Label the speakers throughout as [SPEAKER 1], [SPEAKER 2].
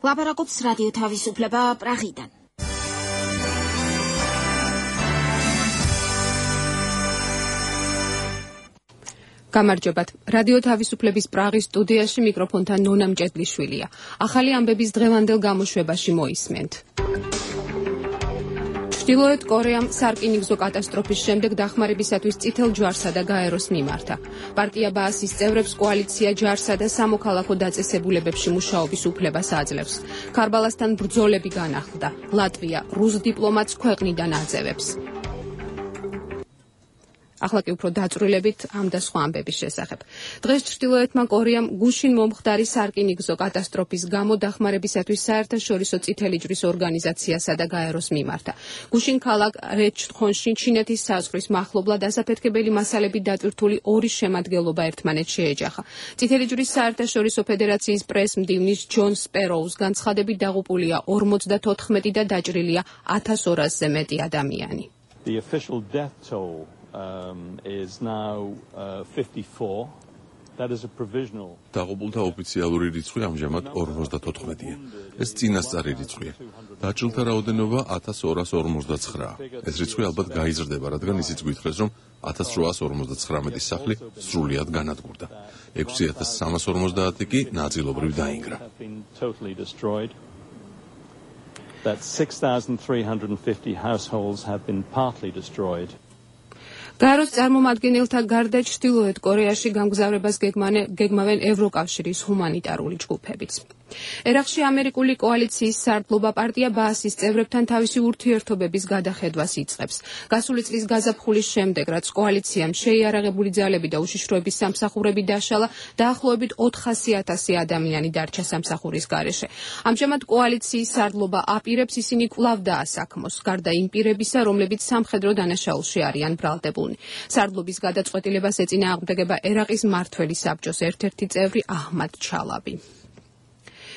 [SPEAKER 1] ლაპარაკობს რადიო თავისუფლება პრაღიდან.
[SPEAKER 2] გამარჯობათ. რადიო თავისუფლების პრაღის სტუდიაში მიკროფონთან ნონა მჭედლიშვილია. ახალი ამბების დღევანდელ გამოშვებაში მოისმენთ. ჩრდილოეთ კორეამ სარკინიგზო კატასტროფის შემდეგ დახმარებისათვის წითელ ჯვარსა და გაეროს მიმართა. პარტია ბაასის წევრებს კოალიცია ჯარსა და სამოქალაქო დაწესებულებებში მუშაობის უფლებას აძლევს. ქარბალასთან ბრძოლები განახლდა. ლატვია რუს დიპლომატს ქვეყნიდან აძევებს. ახლა კი უფრო დაწვრილებით ამ და სხვა ამბების შესახებ. დღეს ჩრდილოეთმა კორეამ გუშინ მომხდარი სარკინიგზო კატასტროფის გამო დახმარებისათვის საერთაშორისო წითელი ჯვრის ორგანიზაციასა და გაეროს მიმართა. გუშინ ქალაქ რეჩხონში ჩინეთის საზღვრის მახლობლად ასაფეთქებელი მასალებით დატვირთული ორი შემადგენლობა ერთმანეთს შეეჯახა. წითელი ჯვრის საერთაშორისო ფედერაციის პრესმდივნის ჯონ სპეროუს განცხადებით დაღუპულია 54 და დაჭრილია 1200-ზე მეტი ადამიანი.
[SPEAKER 3] The official death toll is now 54. That is a provisional.
[SPEAKER 4] დაღუპულთა ოფიციალური რიცხვი ამჟამად 54-ია. ეს წინასწარი რიცხვია. დაჭრილთა რაოდენობა 1259. ეს რიცხვი ალბათ გაიზრდება, რადგან ისიც გითხრეს, რომ 1859 სახლი სრულიად განადგურდა. 6350 კი ნაწილობრივ დაინგრა.
[SPEAKER 3] That 6350 households have been partly destroyed.
[SPEAKER 2] გაეროს წარმომადგენელთა გარდა ჩრდილოეთ კორეაში გამგზავრებას გეგმავენ ევროკავშირის ჰუმანიტარული ჯგუფებიც. ერაყში ამერიკული კოალიციის სარდლობა პარტია ბაასის წევრებთან თავისი ურთიერთობების გადახედვას იწყებს. გასული წლის გაზაფხულის შემდეგ, რაც კოალიციამ შეიარაღებული ძალები და უშიშროების სამსახურები დაშალა, დაახლოებით 400,000 ადამიანი დარჩა სამსახურის გარეშე. ამჟამად კოალიციის სარდლობა აპირებს ისინი კვლავ დაასაქმოს, გარდა იმ პირებისა, რომლებიც სამხედრო დანაშაულში არიან ბრალდებულნი. სარდლობის გადაწყვეტილებას ეწინააღმდეგება ერაყის მმართველი საბჭოს ერთ-ერთი წევრი აჰმად ჩალაბი.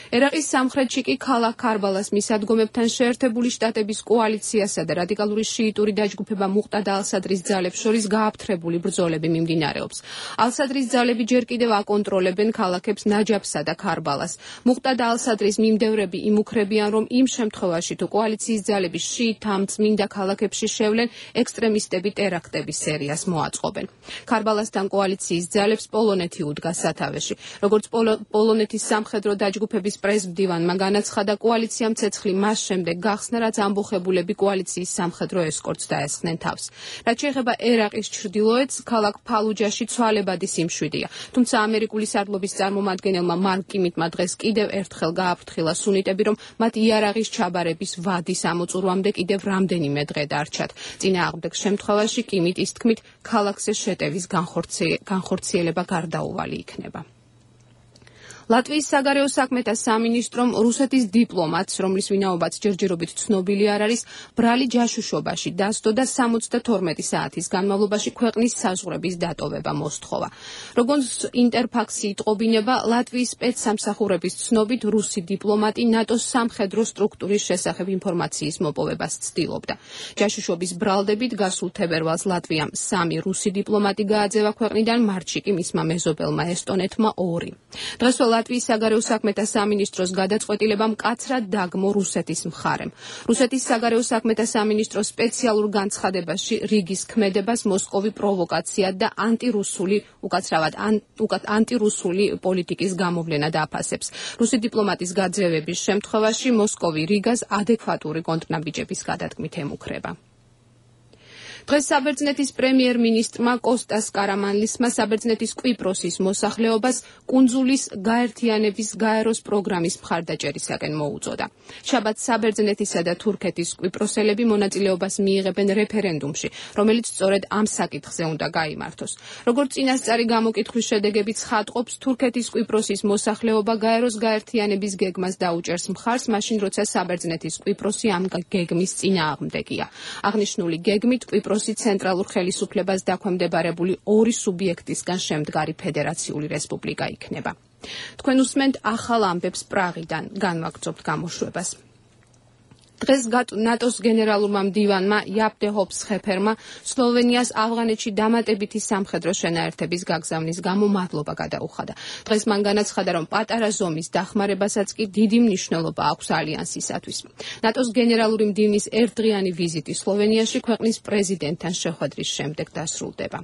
[SPEAKER 2] ერაყის სამხრეთში კი ქალაქ ქარბალას მისადგომებთან შეერთებული შტატების კოალიციასა და რადიკალური შიიტური დაჯგუფება მუყტადა ალ-სადრის ძალებს შორის გააფთრებული ბრძოლები მიმდინარეობს. ალ-სადრის ძალები ჯერ კიდევ აკონტროლებენ ქალაქებს ნაჯაფსა და ქარბალას. მუყტადა ალ-სადრის მიმდევრები იმუქრებიან, რომ იმ შემთხვევაში თუ კოალიციის ძალები შიიტთა წმინდა ქალაქებში შევლენ, ექსტრემისტები ტერაქტების სერიას მოაწყობენ. ქარბალასთან კოალიციის ძალებს პოლონეთი უდგა სათავეში. როგორც პოლონეთის სამხედრო დაჯგუფების პრესმდივანმა განაცხადა, კოალიციამ ცეცხლი მას შემდეგ გახსნა, რაც ამბოხებულები კოალიციის სამხედრო ესკორტს დაესხნენ თავს. რაც შეეხება ერაყის ჩრდილოეთს, ქალაქ ფალუჯაში ცვალებადი სიმშვიდეა. თუმცა ამერიკული სარდლობის წარმომადგენელმა მარკ კიმიტმა დღეს კიდევ ერთხელ გააფრთხილა სუნიტები, რომ მათ იარაღის ჩაბარების ვადის ამოწურვამდე კიდევ რამდენიმე დღე დარჩათ. წინააღმდეგ შემთხვევაში კიმიტის თქმით, ქალაქზე შეტევის განხორციელება გარდაუვალი იქნება. ლატვიის საგარეო საქმეთა სამინისტრომ რუსეთის დიპლომატს, რომლის ვინაობაც ჯერჯერობით ცნობილი არ არის, ბრალი ჯაშუშობაში დასდო და 72 საათის განმავლობაში ქვეყნის საზღვრების დატოვება მოსთხოვა. როგორც ინტერფაქსი იტყობინება, ლატვიის სპეცსამსახურების ცნობით რუსი დიპლომატი ნატოს სამხედრო სტრუქტურის შესახებ ინფორმაციის მოპოვებას ცდილობდა. ჯაშუშობის ბრალდებით გასულ თებერვალს ლატვიამ 3 რუსი დიპლომატი გააძევა ქვეყნიდან, მარტში კი მისმა მეზობელმა ესტონეთმა 2. დღეს ლატვიის საგარეო საქმეთა სამინისტროს გადაწყვეტილება მკაცრად დაგმო რუსეთის მხარემ. რუსეთის საგარეო საქმეთა სამინისტროს სპეციალურ განცხადებაში რიგის ქმედებას მოსკოვი პროვოკაცია და ანტირუსული პოლიტიკის გამოვლენა დააფასებს. რუსი დიპლომატის გაძევების შემთხვევაში მოსკოვი რიგას ადეკვატური კონტრნაბიჯების გადადგმით ემუქრება. დღეს საბერძნეთის პრემიერ-მინისტრმა კოსტას კარამანლისმა საბერძნეთის კვიპროსის მოსახლეობას კუნძულის გაერთიანების გაეროს პროგრამის მხარდაჭერისაკენ მოუწოდა. შაბათს საბერძნეთისა და თურქეთის კვიპროსელები მონაწილეობას მიიღებენ რეფერენდუმში, რომელიც სწორედ ამ საკითხზე უნდა გაიმართოს. როგორც წინასწარი გამოკითხვის შედეგები ცხადყოფს, თურქეთის კვიპროსის მოსახლეობა გაეროს გაერთიანების გეგმას დაუჭერს მხარს, მაშინ როცა საბერძნეთის კვიპროსი ამ გეგმის წინააღმდეგია. აღნიშნული გეგმით კვიპროსი ცენტრალურ ხელისუფლებას დაქვემდებარებული 2 სუბიექტისგან შემდგარი ფედერაციული რესპუბლიკა იქნება. თქვენ უსმენთ ახალ ამბებს პრაღიდან, განვაგრძობთ გამოშვებას. დღეს ნატოს გენერალურმა მდივანმა იაპ დე ჰოპს ხეფერმა სლოვენიას ავღანეთში დამატებითი სამხედრო შენაერთების გაგზავნის გამო მადლობა გადაუხადა. დღეს მან განაცხადა, რომ პატარა ზომის დახმარებასაც კი დიდი მნიშვნელობა აქვს ალიანსისათვის. ნატოს გენერალური მდივნის ერთდღიანი ვიზიტი სლოვენიაში ქვეყნის პრეზიდენტთან შეხვედრის შემდეგ დასრულდება.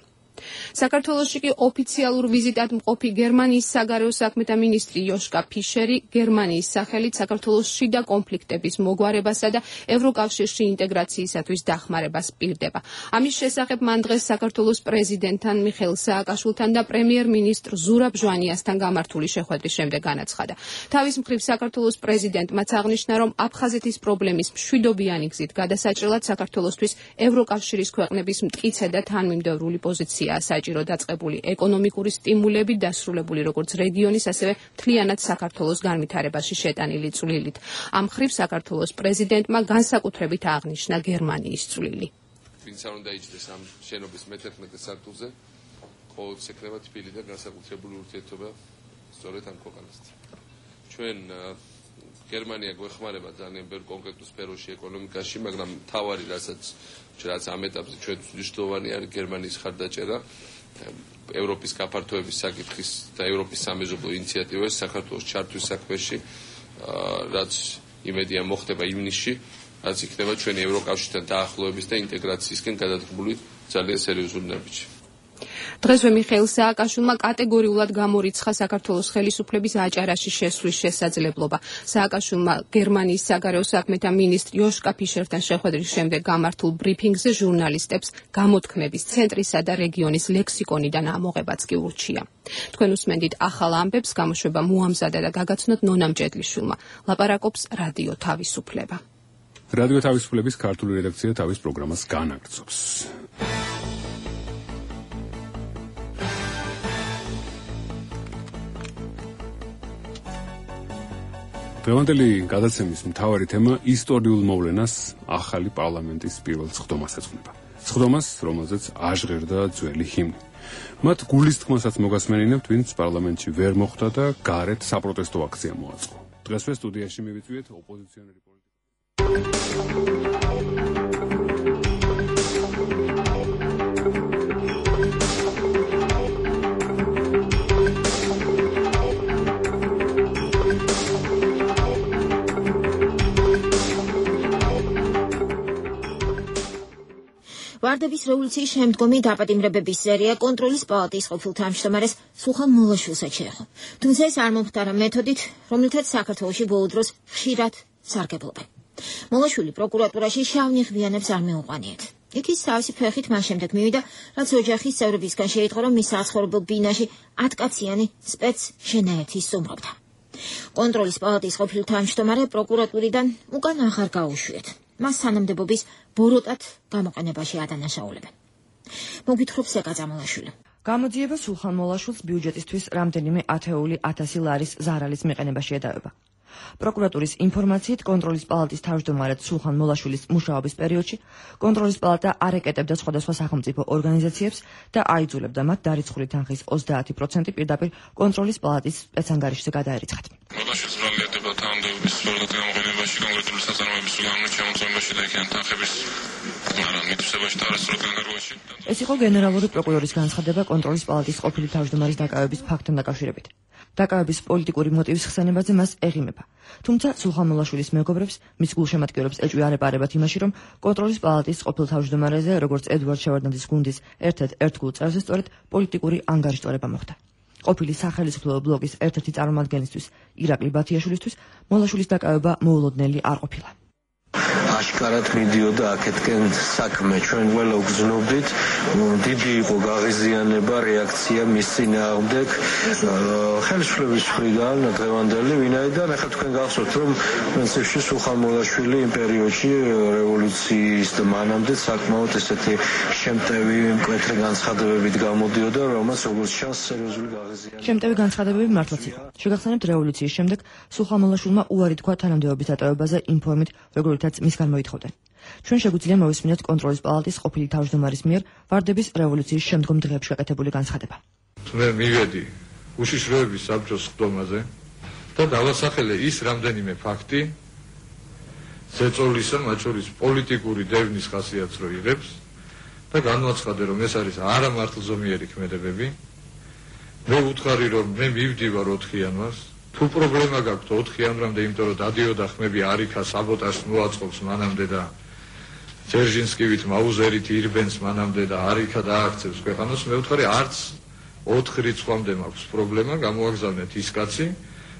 [SPEAKER 2] საქართველოში კი ოფიციალურ ვიზიტად მყოფი გერმანიის საგარეო საქმეთა მინისტრი იოშკა ფიშერი გერმანიის სახელით საქართველოს შიდა კონფლიქტების მოგვარებასა და ევროკავშირში ინტეგრაციისათვის დახმარებას პირდება. ამის შესახებ მან დღეს საქართველოს პრეზიდენტთან მიხეილ სააკაშვილთან და პრემიერ-მინისტრ ზურაბ ჟვანიასთან გამართული შეხვედრის შემდეგ განაცხადა. თავის მხრივ საქართველოს პრეზიდენტმაც აღნიშნა, რომ აფხაზეთის პრობლემის მშვიდობიანი გზით გადასაჭრელად საქართველოსთვის ევროკავშირის ქვეყნების მტკიცე და თანმიმდევრული პოზიცია საჭირო დაწყებული ეკონომიკური სტიმულები დასრულებული როგორც რეგიონის, ასევე მთლიანად საქართველოს განვითარებაში შეტანილი წვლილით. ამ მხრივ საქართველოს პრეზიდენტმა განსაკუთრებით აღნიშნა გერმანიის წვლილი.
[SPEAKER 5] ვინც არ უნდა იჯდეს ამ შენობის მე-11 სართულზე, ყოველთვის ექნება თბილი და განსაკუთრებული ურთიერთობა სწორედ ამ ქვეყანასთან. ჩვენ გერმანია გვეხმარება ძალიან ბევრ კონკრეტულ სფეროში ეკონომიკაში, მაგრამ თავარი რაც ამ ეტაპზე ჩვენთვის მნიშვნელოვანი არის გერმანიის ხარდაჭერა ევროპის გაფართოების საკითხის და ევროპის სამეზობლო ინიციატივების საქართველოს ჩართვის საქმეში, რაც იმედია მოხდება ივნისში, რაც იქნება ჩვენი ევროკავშირთან დაახლოების და ინტეგრაციისკენ გადადგმული ძალიან სერიოზული ნაბიჯი.
[SPEAKER 2] დღესვე მიხეილ სააკაშვილმა კატეგორიულად გამორიცხა საქართველოს ხელისუფლების აჭარაში შესვლის შესაძლებლობა. სააკაშვილმა გერმანიის საგარეო საქმეთა მინისტრ იოშკა ფიშერთან შეხვედრის შემდეგ გამართულ ბრიფინგზე ჟურნალისტებს გამოთქმების ცენტრისა და რეგიონის ლექსიკონიდან ამოღებაც კი ურჩია. თქვენ უსმენდით ახალ ამბებს, გამოშვება მოამზადა და გაგაცნოთ ნონა მჭედლიშვილმა. ლაპარაკობს რადიო თავისუფლება.
[SPEAKER 6] რადიო თავისუფლების ქართული რედაქცია თავის პროგრამას განაგრძობს. დღევანდელი გადაცემის მთავარი თემა ისტორიულ მოვლენას ახალი პარლამენტის პირველ სხდომას ეძღვნება. სხდომას, რომელზეც აჟღერდა ძველი ჰიმნი. მათ გულისწყმასაც მოგასმენინებთ, ვინც პარლამენტში ვერ მოხვდა და გარეთ საპროტესტო აქცია მოაწყო. დღესვე სტუდიაში მივიწვიეთ ოპოზიციონერი
[SPEAKER 1] ვარდების რევოლუციის შემდგომი დაპატიმრებების სერია კონტროლის პალატის ყოფილ თავმჯდომარეს სულხან მოლაშვილსაც შეეხო. თუმცა ეს არ მომხდარა მეთოდით, რომლითაც საქართველოში ბოლო დროს ხშირად სარგებლობენ. მოლაშვილი პროკურატურაში შავნიღბიანებს არ მეუყვანიეთ. იქ ის თავისი ფეხით მას შემდეგ მივიდა, რაც ოჯახის წევრებისგან შეიტყო, რომ მის საცხოვრებელ ბინაში 10 კაციანი სპეც შენაერთი სტუმრობდა. კონტროლის პალატის ყოფილ თავმჯდომარე პროკურატურიდან უკან აღარ გაუშვიეთ. მას სანამდებობის ბოროტად გამოყენებაში ადანაშაულებენ. მოგვითხრობს ეკაძა მოლაშვილი.
[SPEAKER 7] გამოძიება სულხან მოლაშვილს ბიუჯეტისთვის რამდენიმე ათეული 1000 ლარის ზარალის მიყენებაში ედავება. პროკურატურის ინფორმაციით, კონტროლის პალატის თავმჯდომარედ სულხან მოლაშვილის მუშაობის პერიოდში კონტროლის პალატა არ ეკეტებდა სხვადასხვა სახელმწიფო ორგანიზაციებს და აიძულებდა მათ დარიცხული თანხის 30% პირდაპირ კონტროლის პალატის სპეცანგარიშზე გადაერიცხათ.
[SPEAKER 8] მოლაშვილს ბრალიანდება თანამდებობის სწორად გამოყენებაში, კონკრეტული საწარმოების უგანო შემოწმებაში და იქიდან თანხების მითვისებაში და არასწორად განკარგვაში.
[SPEAKER 7] ეს იყო გენერალური პროკურორის განცხადება კონტროლის პალატის ყოფილი თავმჯდომარის დაკავების ფაქტთან დაკავშირებით. დაკავების პოლიტიკური მოტივის ხსენებაზე მას ეღიმება. თუმცა სულხან მოლაშვილის მეგობრებს, მის გულშემატკივრებს ეჭვი არ ეპარებათ იმაში, რომ კონტროლის პალატის ყოფილ თავმჯდომარეზე, როგორც ედვარდ შევარდნაძის გუნდის ერთ-ერთ ერთგულ წევრზე სწორედ პოლიტიკური ანგარიშტორება მოხდა. ყოფილი სახელმწიფო ბლოკის ერთ-ერთი წარმომადგენლისთვის, ირაკლი ბათიაშვილისთვის, მოლაშვილის დაკავება მოულოდნელი არ ყოფილა.
[SPEAKER 9] აშკარად მიდიოდა აქეთკენ საქმე. ჩვენ ყველა უგზნობდით, დიდი იყო გაღიზიანება, რეაქცია მის წინააღმდეგ ხელისუფლების მხრიდან დღევანდელი, ვინაიდან ახლა თქვენ გახსოვთ, რომ პრინციპში სულხან მოლაშვილი იმ პერიოდში რევოლუციის და მანამდე საკმაოდ ესეთი შემტევი მკვეთრი განცხადებებით გამოდიოდა, რომელსაც როგორც ჩანს სერიოზული გაღიზიანება.
[SPEAKER 7] შემტევი განცხადებები მართლაც იყო. შეგახსენებთ, რევოლუციის შემდეგ სულხან მოლაშვილმა უარი თქვა თანამდებობის დატოვებაზე იმ ფორმით, როგორითაც მისგან მოითხოვდნენ. ჩვენ შეგვიძლია მოვისმინოთ კონტროლის პალატის ყოფილი თავმჯდომარის მიერ ვარდების რევოლუციის შემდგომ დღეებში გაკეთებული განცხადება.
[SPEAKER 8] მე მივედი უშიშროების საბჭოს სხდომაზე და დავასახელე ის რამდენიმე ფაქტი,
[SPEAKER 10] ზეწოლისა, მათ შორის პოლიტიკური დევნის ხასიათს რო იღებს და განვაცხადე, რომ ეს არის არამართლზომიერი ქმედებები. მე ვუთხარი, რომ მე მივდივარ 4 იანვარს. თუ პრობლემა გაქვთ 4 იანვრამდე, იმიტომ რომ დადიოდა ხმები არიქა საბოტაჟს მოაწყობს მანამდე და ძერჟინსკივით მაუზერით ირბენს მანამდე და არიქა დააქცევს ქვეყანას, მე ვუთხარი, არც 4 რიცხვამდე მაქვს პრობლემა, გამოაგზავნეთ ის კაცი,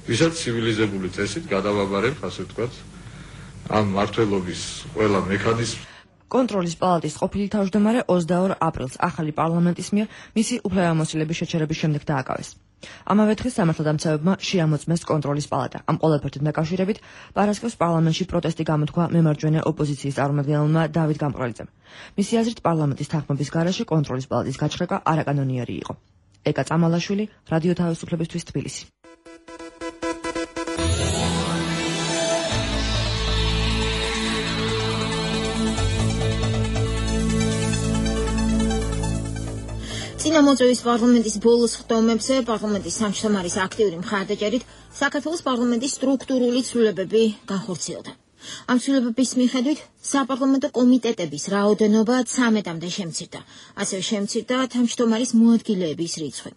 [SPEAKER 10] ვისაც ცივილიზებული წესით გადავაბარებ, ასე ვთქვათ, ამ მართლობის ყველა მექანიზმს.
[SPEAKER 7] კონტროლის პალატის ყოფილი თავმჯდომარე 22 აპრილს ახალი პარლამენტის მიერ მისი უფლებამოსილების შეჩერების შემდეგ დააკავეს. ამავე დღეს სამართალდამცავებმა შეამოწმეს კონტროლის პალატა. ამ ყველაფერთან დაკავშირებით პარასკევს პარლამენტში პროტესტი გამოთქვა მემარჯვენე ოპოზიციის წარმომადგენელმა დავით გამყრალიძემ. მისი აზრით, პარლამენტის თანხმობის გარეშე კონტროლის პალატის გაჩხრება არაკანონიერი იყო. ეკა წამალაშვილი, რადიო თავისუფლებისთვის, თბილისი.
[SPEAKER 1] წინამოწვევის პარლამენტის ბოლოს ხდომებზე პარლამენტის სამშრომარის აქტიური მხარდაჭერით საქართველოს პარლამენტის სტრუქტურული ცვლილებები განხორციელდა. ამ ცვლილებების მიხედვით საპარლამენტო კომიტეტების რაოდენობა 13-მდე შემცირდა. ასევე შემცირდა თავმჯდომარის მოადგილეების რიცხვი.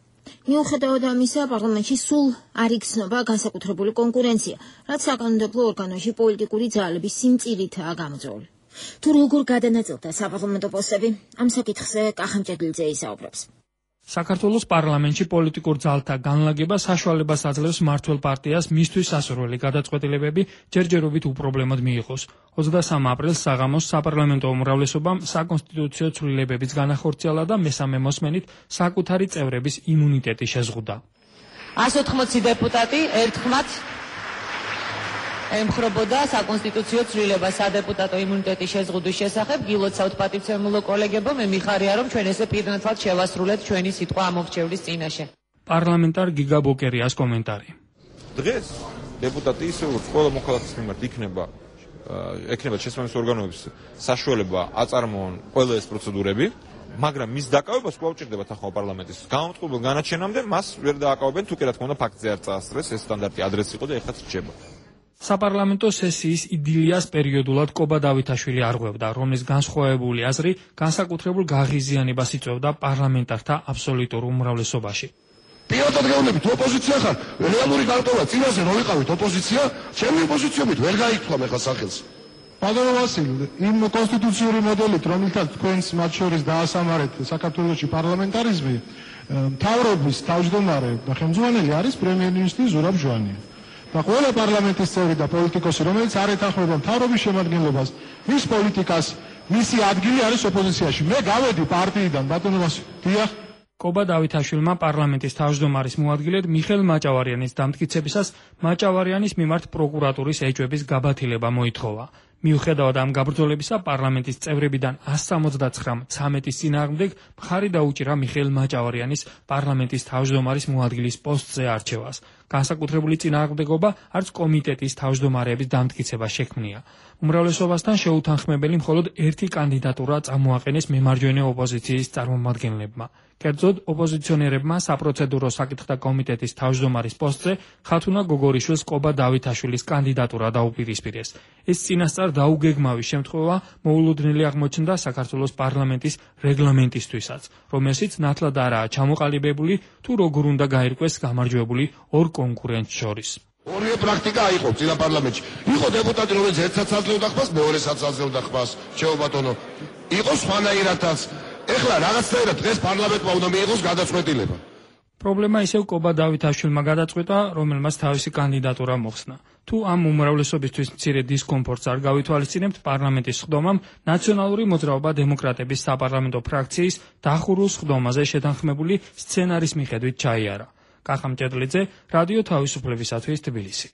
[SPEAKER 1] მიუხედავად ამისა, პარლამენტში სულ არ იგრძნობა განსაკუთრებული კონკურენცია, რაც საკანონმდებლო ორგანოში პოლიტიკური ძალების სიმწირითაა გამოწვეული. თუ როგორ გადანაწილდა საპარლამენტო პოსტები, ამ საკითხზე კახა მჭედლიძე ისაუბრებს.
[SPEAKER 11] საქართველოს პარლამენტში პოლიტიკურ ძალთა განლაგება საშუალებას აძლევს მმართველ პარტიას მისთვის სასურველი გადაწყვეტილებები ჯერჯერობით უპრობლემოდ მიიღოს. 23 აპრილს საღამოს საპარლამენტო უმრავლესობამ საკონსტიტუციო ცვლილებებიც განახორციელა და მესამე მოსმენით საკუთარი წევრების იმუნიტეტი შეზღუდა.
[SPEAKER 12] 180 დეპუტატი ერთხმად ემხრობოდა საკონსტიტუციო ცვლილებას სადეპუტატო იმუნიტეტის შეზღუდვის შესახებ. გილოცავთ პატივცემულო კოლეგებო, მე მიხარია, რომ ჩვენ ესე პირნათლად შევასრულეთ ჩვენი სიტყვა ამორჩევლის წინაშე.
[SPEAKER 11] პარლამენტარ გიგა ბოკერიას კომენტარი.
[SPEAKER 13] დღეს დეპუტატი ისე როგორც ყველა მოქალაქის მიმართ იქნება შესაბამის ორგანოების საშუალება აწარმოონ ყველა ეს პროცედურები, მაგრამ მის დაკავებას კვლავ ჭირდებათ ახლა პარლამენტის განმტყობელ განაჩენამდე მას ვერ დააკავებენ, თუ კი რა თქმა უნდა ფაქტზე არ წაასწრეს, ეს სტანდარტი ადრეს იყო და ეხლაც რჩება.
[SPEAKER 11] საპარლამენტო სესიის იდილიას პერიოდულად კობა დავითაშვილი არღვევდა, რომლის განსხვავებული აზრი განსაკუთრებულ გაღიზიანებას იწვევდა პარლამენტართა აბსოლუტურ უმრავლესობაში.
[SPEAKER 14] პირადად გეუბნებით, ოპოზიცია ხარ, რეალური გარტოვა, წინაზე რო ვიყავით ოპოზიცია, ჩემი ოპოზიციობით ვერ გაიქცვა მე ხა სახელს.
[SPEAKER 15] ბატონო ვასილი, იმ კონსტიტუციური მოდელით, რომელთაც თქვენს მათ შორის დაასამარეთ საქართველოში პარლამენტარიზმი, მთავრობის თავმჯდომარე და ხელმძღვანელი არის პრემიერ-მინისტრი ზურაბ ჟვანია. და ყველა პარლამენტის წევრი და პოლიტიკოსი, რომელიც არ ეთანხმება მთავრობის შემადგენლობას, მის პოლიტიკას, მისი ადგილი არის ოპოზიციაში. მე გავედი პარტიიდან, ბატონო ვასილი. დიახ.
[SPEAKER 11] კობა დავითაშვილმა პარლამენტის თავმჯდომარის მოადგილედ მიხეილ მაჭავარიანის დამტკიცებისას მაჭავარიანის მიმართ პროკურატურის ეჭვების გაბათილება მოითხოვა. მიუხედავად ამ გაბრძოლებისა, პარლამენტის წევრებიდან 179 13-ის წინააღმდეგ მხარი დაუჭირა მიხეილ მაჭავარიანის პარლამენტის თავმჯდომარის მოადგილის პოსტზე არჩევას. განსაკუთრებული წინააღმდეგობა არც კომიტეტის თავმჯდომარეების დამტკიცება შექმნია. უმრავლესობასთან შეუთანხმებელი მხოლოდ ერთი კანდიდატურა წამოაყენეს მემარჯვენე ოპოზიციის წარმომადგენლებმა. კერძოდ, ოპოზიციონერებმა საპროცედურო საკითხთა კომიტეტის თავმჯდომარის პოსტზე ხათუნა გოგორიშვილს კობა დავითაშვილის კანდიდატურა დაუპირისპირეს. ეს წინასწარ დაუგეგმავის შემთხვევა მოულოდნელი აღმოჩნდა საქართველოს პარლამენტის რეგლამენტისთვისაც, რომელშიც ნათლად არაა ჩამოყალიბებული თუ როგორ უნდა გაირკვეს გამარჯვებული ორ კონკურენტს შორის.
[SPEAKER 14] ორივე პრაქტიკა აიღო წინა პარლამენტში. იყო დეპუტატი, რომელიც ერთსაც აძლევდა ხმას, მეორესაც აძლევდა ხმას. ჩემო ბატონო, იყო სხვანაირადაც. ეხლა რაღაცნაირად დღეს პარლამენტმა უნდა მიიღოს გადაწყვეტილება.
[SPEAKER 11] პრობლემა ისევ კობა დავითაშვილმა გადაწყვეტა, რომელმაც თავისი კანდიდატურა მოხსნა. თუ ამ უმრავლესობისთვის მცირე დისკომფორტს არ გავითვალისწინებთ, პარლამენტის სხდომამ ნაციონალური მოძრაობა დემოკრატების საპარლამენტო ფრაქციის დახურულ სხდომაზე შეთანხმებული სცენარის მიხედვით ჩაიარა. კახა მჭედლიძე, რადიო თავისუფლებისათვის, თბილისი.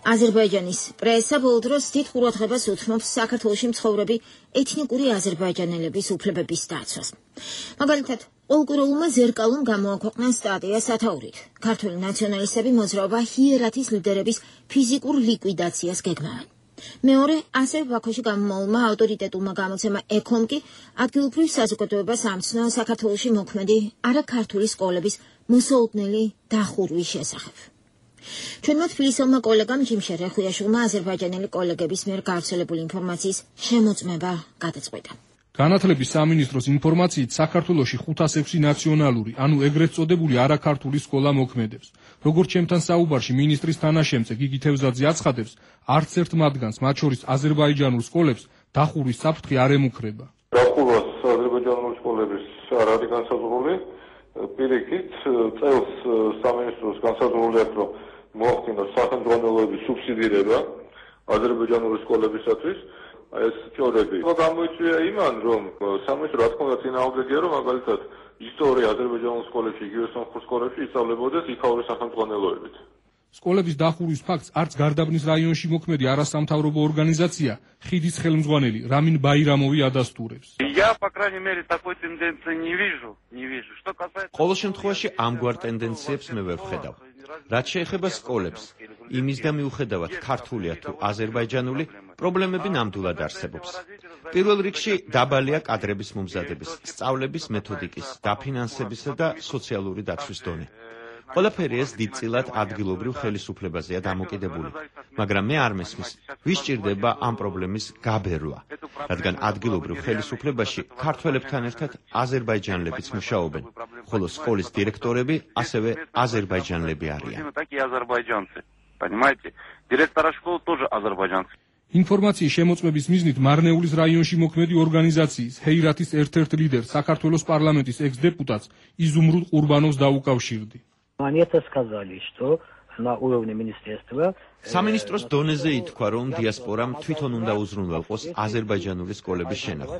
[SPEAKER 1] აზერბაიჯანის პრესა ბოლო დროს დიდ ყურადღებას უთმობს საქართველოში მცხოვრები ეთნიკური აზერბაიჯანელების უფლებების დაცვას. მაგალითად, პოლკუროულმა ზერკალում გამოაქვეყნა სტატია სათაურით. ქართველი ნაციონალისტები მოძრაობა ჰიერათის ლიდერების ფიზიკურ ლიკვიდაციას გეგმავენ. მეორე, ასევე ბაქოში გამომავალმა ავტორიტეტულმა გამოცემა ეკონკი ადგილობრივ საზოგადოებას ამცნო საქართველოში მოქმედი არაქართული სკოლების მოსაოდნელი დახურვის შესახებ. ჩვენმა თბილისელმა კოლეგამ ჯიმშე რეხუიაშვილმა აზერბაიჯანელი კოლეგების მიერ გავრცელებული ინფორმაციის შემოწმება გადაწყვიტა.
[SPEAKER 16] განათლების სამინისტროს ინფორმაციით საქართველოში 506 ნაციონალური, ანუ ეგრეთ წოდებული არაქართული სკოლა მოქმედებს. როგორც ჩემთან საუბარში მინისტრის თანაშემწე გიგი თევზაძე აცხადებს, არც ერთ მათგანს, მათ შორის აზერბაიჯანულ სკოლებს, დახურვის საფრთხე არ ემუქრება.
[SPEAKER 10] დახურვას აზერბაიჯანული სკოლების არ არის განსაზღვრული. პირიქით, წელს სამინისტროს განსაზღვრული აქვს, რომ მოახდინოს სახელმძღვანელოების სუბსიდირება აზერბაიჯანული სკოლებისათვის. ეს წოდები გამოიწვია იმან, რომ სამინისტრო რა თქმა უნდა წინააღმდეგია, რომ მაგალითად ისტორია აზერბაიჯანულ სკოლებში, იგივე სომხურ სკოლებში ისწავლებოდეს იქაური სახელმძღვანელოებით.
[SPEAKER 16] სკოლების დახურვის ფაქტს არც გარდაბნის რაიონში მოქმედი არასამთავრობო ორგანიზაცია ხიდის ხელმძღვანელი რამინ ბაირამოვი ადასტურებს.
[SPEAKER 17] Я, по крайней мере, такой тенденции не вижу. Что касается
[SPEAKER 18] ყოველ შემთხვევაში ამგვარ ტენდენციებს მე ვერ ვხედავ. რაც შეეხება სკოლებს, იმის და მიუხედავად ქართულია თუ აზერბაიჯანული, პრობლემები ნამდვილად არსებობს. პირველ რიგში დაბალია კადრების მომზადების, სწავლების მეთოდიკის, დაფინანსებისა და სოციალური დაცვის დონე. ყველაფერი ეს დიდწილად ადგილობრივ ხელისუფლებაზეა დამოკიდებული, მაგრამ მე არ მესმის, ვის ჭირდება ამ პრობლემის გაბერვა, რადგან ადგილობრივ ხელისუფლებაში ქართველებთან ერთად აზერბაიჯანელებიც მუშაობენ, ხოლო სკოლის დირექტორები ასევე აზერბაიჯანელები არიან.
[SPEAKER 17] Директора школы тоже азербайджанцы.
[SPEAKER 16] ინფორმაციის შემოწმების მიზნით მარნეულის რაიონში მოქმედი ორგანიზაციის ჰეირათის ერთ-ერთ ლიდერ საქართველოს პარლამენტის ექს-დეპუტატს იზუმრუდ ყურბანოვს დაუკავშირდი.
[SPEAKER 19] Они это сказали, что на уровне министерства
[SPEAKER 18] სამინისტროს დონეზე ითქვა, რომ დიასპორამ თვითონ უნდა უზრუნველყოს აზერბაიჯანული სკოლების შენახვა.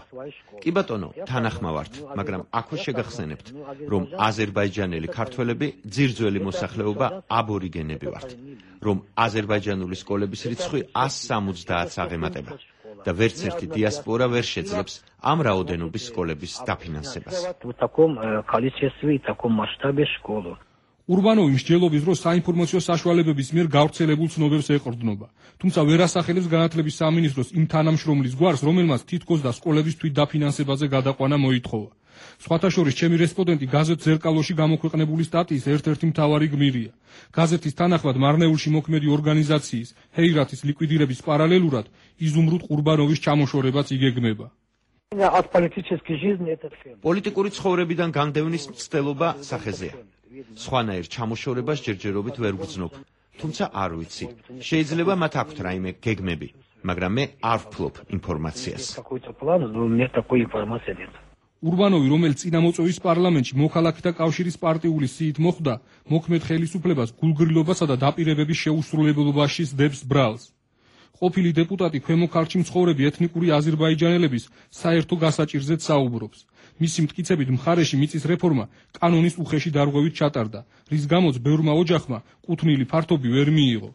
[SPEAKER 18] კი ბატონო, თანახმავართ, მაგრამ აქვე შეგახსენებთ, რომ აზერბაიჯანელი ქართველები ძირძველი მოსახლეობა აბორიგენები ვართ, რომ აზერბაიჯანული სკოლების რიცხვი 170-ს აღემატება და ვერც ერთი დიასპორა ვერ შეძლებს ამ რაოდენობის სკოლების დაფინანსებას.
[SPEAKER 19] в таком количестве и таком масштабе школу.
[SPEAKER 16] ურბანოვი მსჯელობის დროს საინფორმაციო საშუალებების მიერ გავრცელებულ ცნობებს ეყრდნობა, თუმცა ვერ ასახელებს განათლების სამინისტროს იმ თანამშრომლის გვარს, რომელმაც თითქოს და სკოლების თვით დაფინანსებაზე გადაყვანა მოითხოვა. სხვათა შორის ჩემი რესპონდენტი გაზეთ ზერკალოში გამოქვეყნებული სტატიის ერთ-ერთი მთავარი გმირია. გაზეთის თანახმად მარნეულში მოქმედი ორგანიზაციის ჰეირათის ლიკვიდირების პარალელურად იზუმრუდ ყურბანოვის ჩამოშორებაც იგეგმება.
[SPEAKER 18] პოლიტიკური ცხოვრებიდან განდევნის მცდელობა სახეზეა. სხვანაირ ჩამოშორებას ჯერჯერობით ვერ ვგრძნობ, თუმცა არ ვიცი. შეიძლება მათ აქვთ რაიმე გეგმები, მაგრამ მე არ ვფლობ ინფორმაციას.
[SPEAKER 16] ურბანოვი, რომელიც წინამოწვევის პარლამენტში მოქალაქეთა კავშირის პარტიული სიით მოხვდა, მოქმედ ხელისუფლებას გულგრილობასა და დაპირებების შეუსრულებლობაში სდებს ბრალს. ყოფილი დეპუტატი ქვემო ქართლში მცხოვრები ეთნიკური აზერბაიჯანელების საერთო გასაჭირზეც საუბრობს. მისი მტკიცებით მხარეში მიწის რეფორმა კანონის უხეში დარღვევით ჩატარდა, რის გამოც ბევრმა ოჯახმა კუთვნილი ფართობი ვერ მიიღო.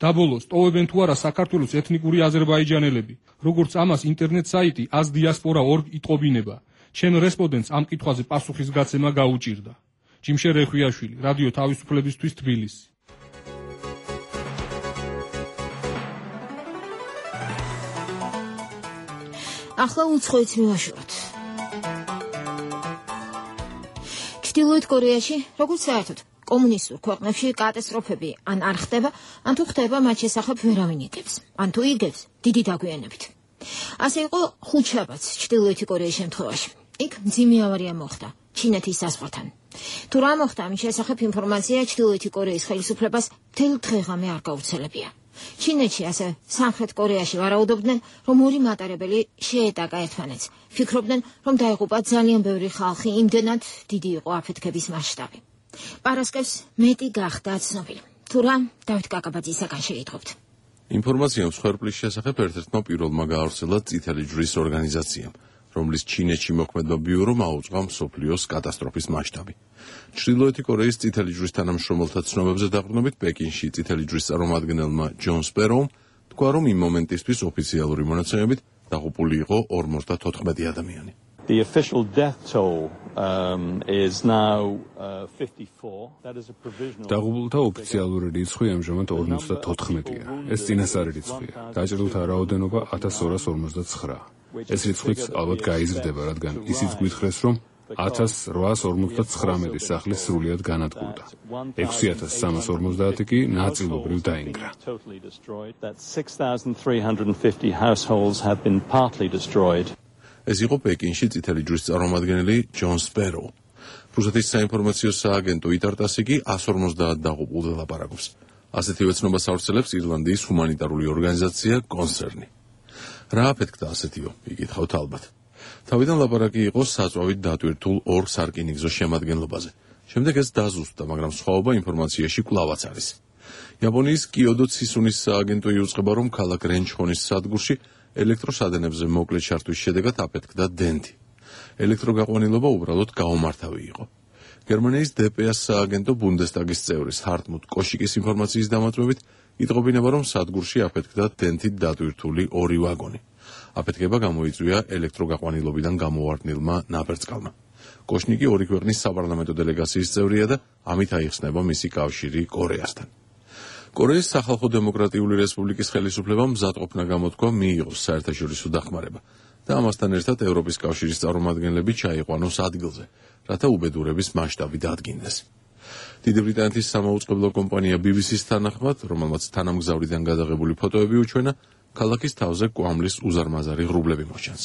[SPEAKER 16] დაბოლოს ტოვებენ თუ არა საქართველოს ეთნიკური აზერბაიჯანელები, როგორც ამას ინტერნეტ საიტი azdiaspora.org იტყობინება. ჩემ რესპონდენტს ამ კითხვაზე პასუხისგაცემა გაუჭირდა. ჯიმშე რეხუიაშვილი, რადიო თავისუფლებისთვის თბილისი.
[SPEAKER 1] ახლა უცხოეთ მივაშუროთ. ჩრდილოეთ კორეაში, როგორც საერთოდ კომუნისტურ ქვეყნებში კატასტროფები ან არ ხდება, ან თუ ხდება, მათ შესახებ ვერავინ იგებს, ან თუ იგებს, დიდი დაგვიანებით. ასე იყო ხუთშაბათს ჩრდილოეთი კორეის შემთხვევაში. იქ მძიმე ავარია მოხდა ჩინეთის საზღვართან. თუ რა მოხდა, ამის შესახებ ინფორმაცია ჩრდილოეთი კორეის ხელისუფლებას მთელ დღეღამე არ გაუცელებია. ჩინეთში, ასე სამხრეთ კორეაში ვარაუდობდნენ, რომ ორი მატარებელი შეეტაკა ერთმანეთს. ფიქრობდნენ, რომ დაიღუპა ძალიან ბევრი ხალხი, იმდენად დიდი იყო აფეთქების მასშტაბი. პარასკევს მეტი გახდა ცნობილი. თუ რა, დავით კაკაბაძისაგან შეიტყობთ.
[SPEAKER 4] ინფორმაცია მსხვერპლის შესახებ ერთ-ერთმა პირველმა გაავრცელა წითელი ჯვრის ორგანიზაციამ, რომლის ჩინეთში მოქმედმა ბიურომ აუწყა მსოფლიოს კატასტროფის მასშტაბი. ჩრდილოეთი კორეის წითელი ჯვრის თანამშრომელთა ცნობებზე დაყრდნობით პეკინში წითელი ჯვრის წარმომადგენელმა ჯონ სპერომ თქვა, რომ იმ მომენტისთვის ოფიციალური მონაცემებით დაღუპული იყო 54 ადამიანი.
[SPEAKER 3] The official death toll is now 54. That is a provisional.
[SPEAKER 6] დაღუპულთა ოფიციალური რიცხვი ამჟამად 54-ია. ეს წინასწარი რიცხვია. დაჭრილთა რაოდენობა 1259. ეს რიცხვიც ალბათ გაიზრდება, რადგან ისიც გვითხრეს, რომ 1859 სახლის სრულიად განადგურდა. 6350 კი ნაწილობრივ დაინგრა.
[SPEAKER 3] 6350 households have been partly destroyed.
[SPEAKER 4] ეს იყო პეკინში წითელი ჯვრის წარმომადგენელი ჯონ სპერო. რუსეთის საინფორმაციო სააგენტო იტარტასი კი 150 დაღუპულზე ლაპარაკობს. ასეთივე ცნობას ავრცელებს ირლანდიის ჰუმანიტარული ორგანიზაცია კონსერნი. რა აფეთქდა ასეთიო? იკითხავთ ალბათ. თავიდან ლაპარაკი იყო საწვავით დატვირთულ ორ სარკინიგზო შემადგენლობაზე. შემდეგ ეს დაზუსტდა, მაგრამ სხვაობა ინფორმაციაში კვლავაც არის. იაპონიის კიოდო ცისუნის სააგენტო იუწყება, რომ ქალაქ რენჩხონის სადგურში ელექტროსადენებზე მოკლე ჩართვის შედეგად აფეთქდა დენთი. ელექტროგაყვანილობა უბრალოდ გაუმართავი იყო. გერმანიის DPA სააგენტო ბუნდესტაგის წევრის ჰარტმუტ კოშიკის ინფორმაციის დამატებით იტყობინება, რომ სადგურში აფეთქდა დენთით დატვირთული ორი ვაგონი. აფეთქება გამოიწვია ელექტროგაყვანილობიდან გამოვარდნილმა ნაბერწკალმა. კოშნიკი ორი ქვეყნის საპარლამენტო დელეგაციის წევრია და ამით აიხსნება მისი კავშირი კორეასთან. კორეის სახალხო დემოკრატიული რესპუბლიკის ხელისუფლებამ მზადყოფნა გამოთქვა მიიღოს საერთაშორისო დახმარება და ამასთან ერთად ევროპის კავშირის წარმომადგენლები ჩაიყვანოს ადგილზე, რათა უბედურების მასშტაბი დადგინდეს. დიდი ბრიტანეთის სამაუწყებლო კომპანია BBC-ს თანახმად, რომელმაც თანამგზავრიდან გადაღებული ფოტოები უჩვენა, ქალაქის თავზე კვამლის უზარმაზარი ღრუბლები მოჩანს.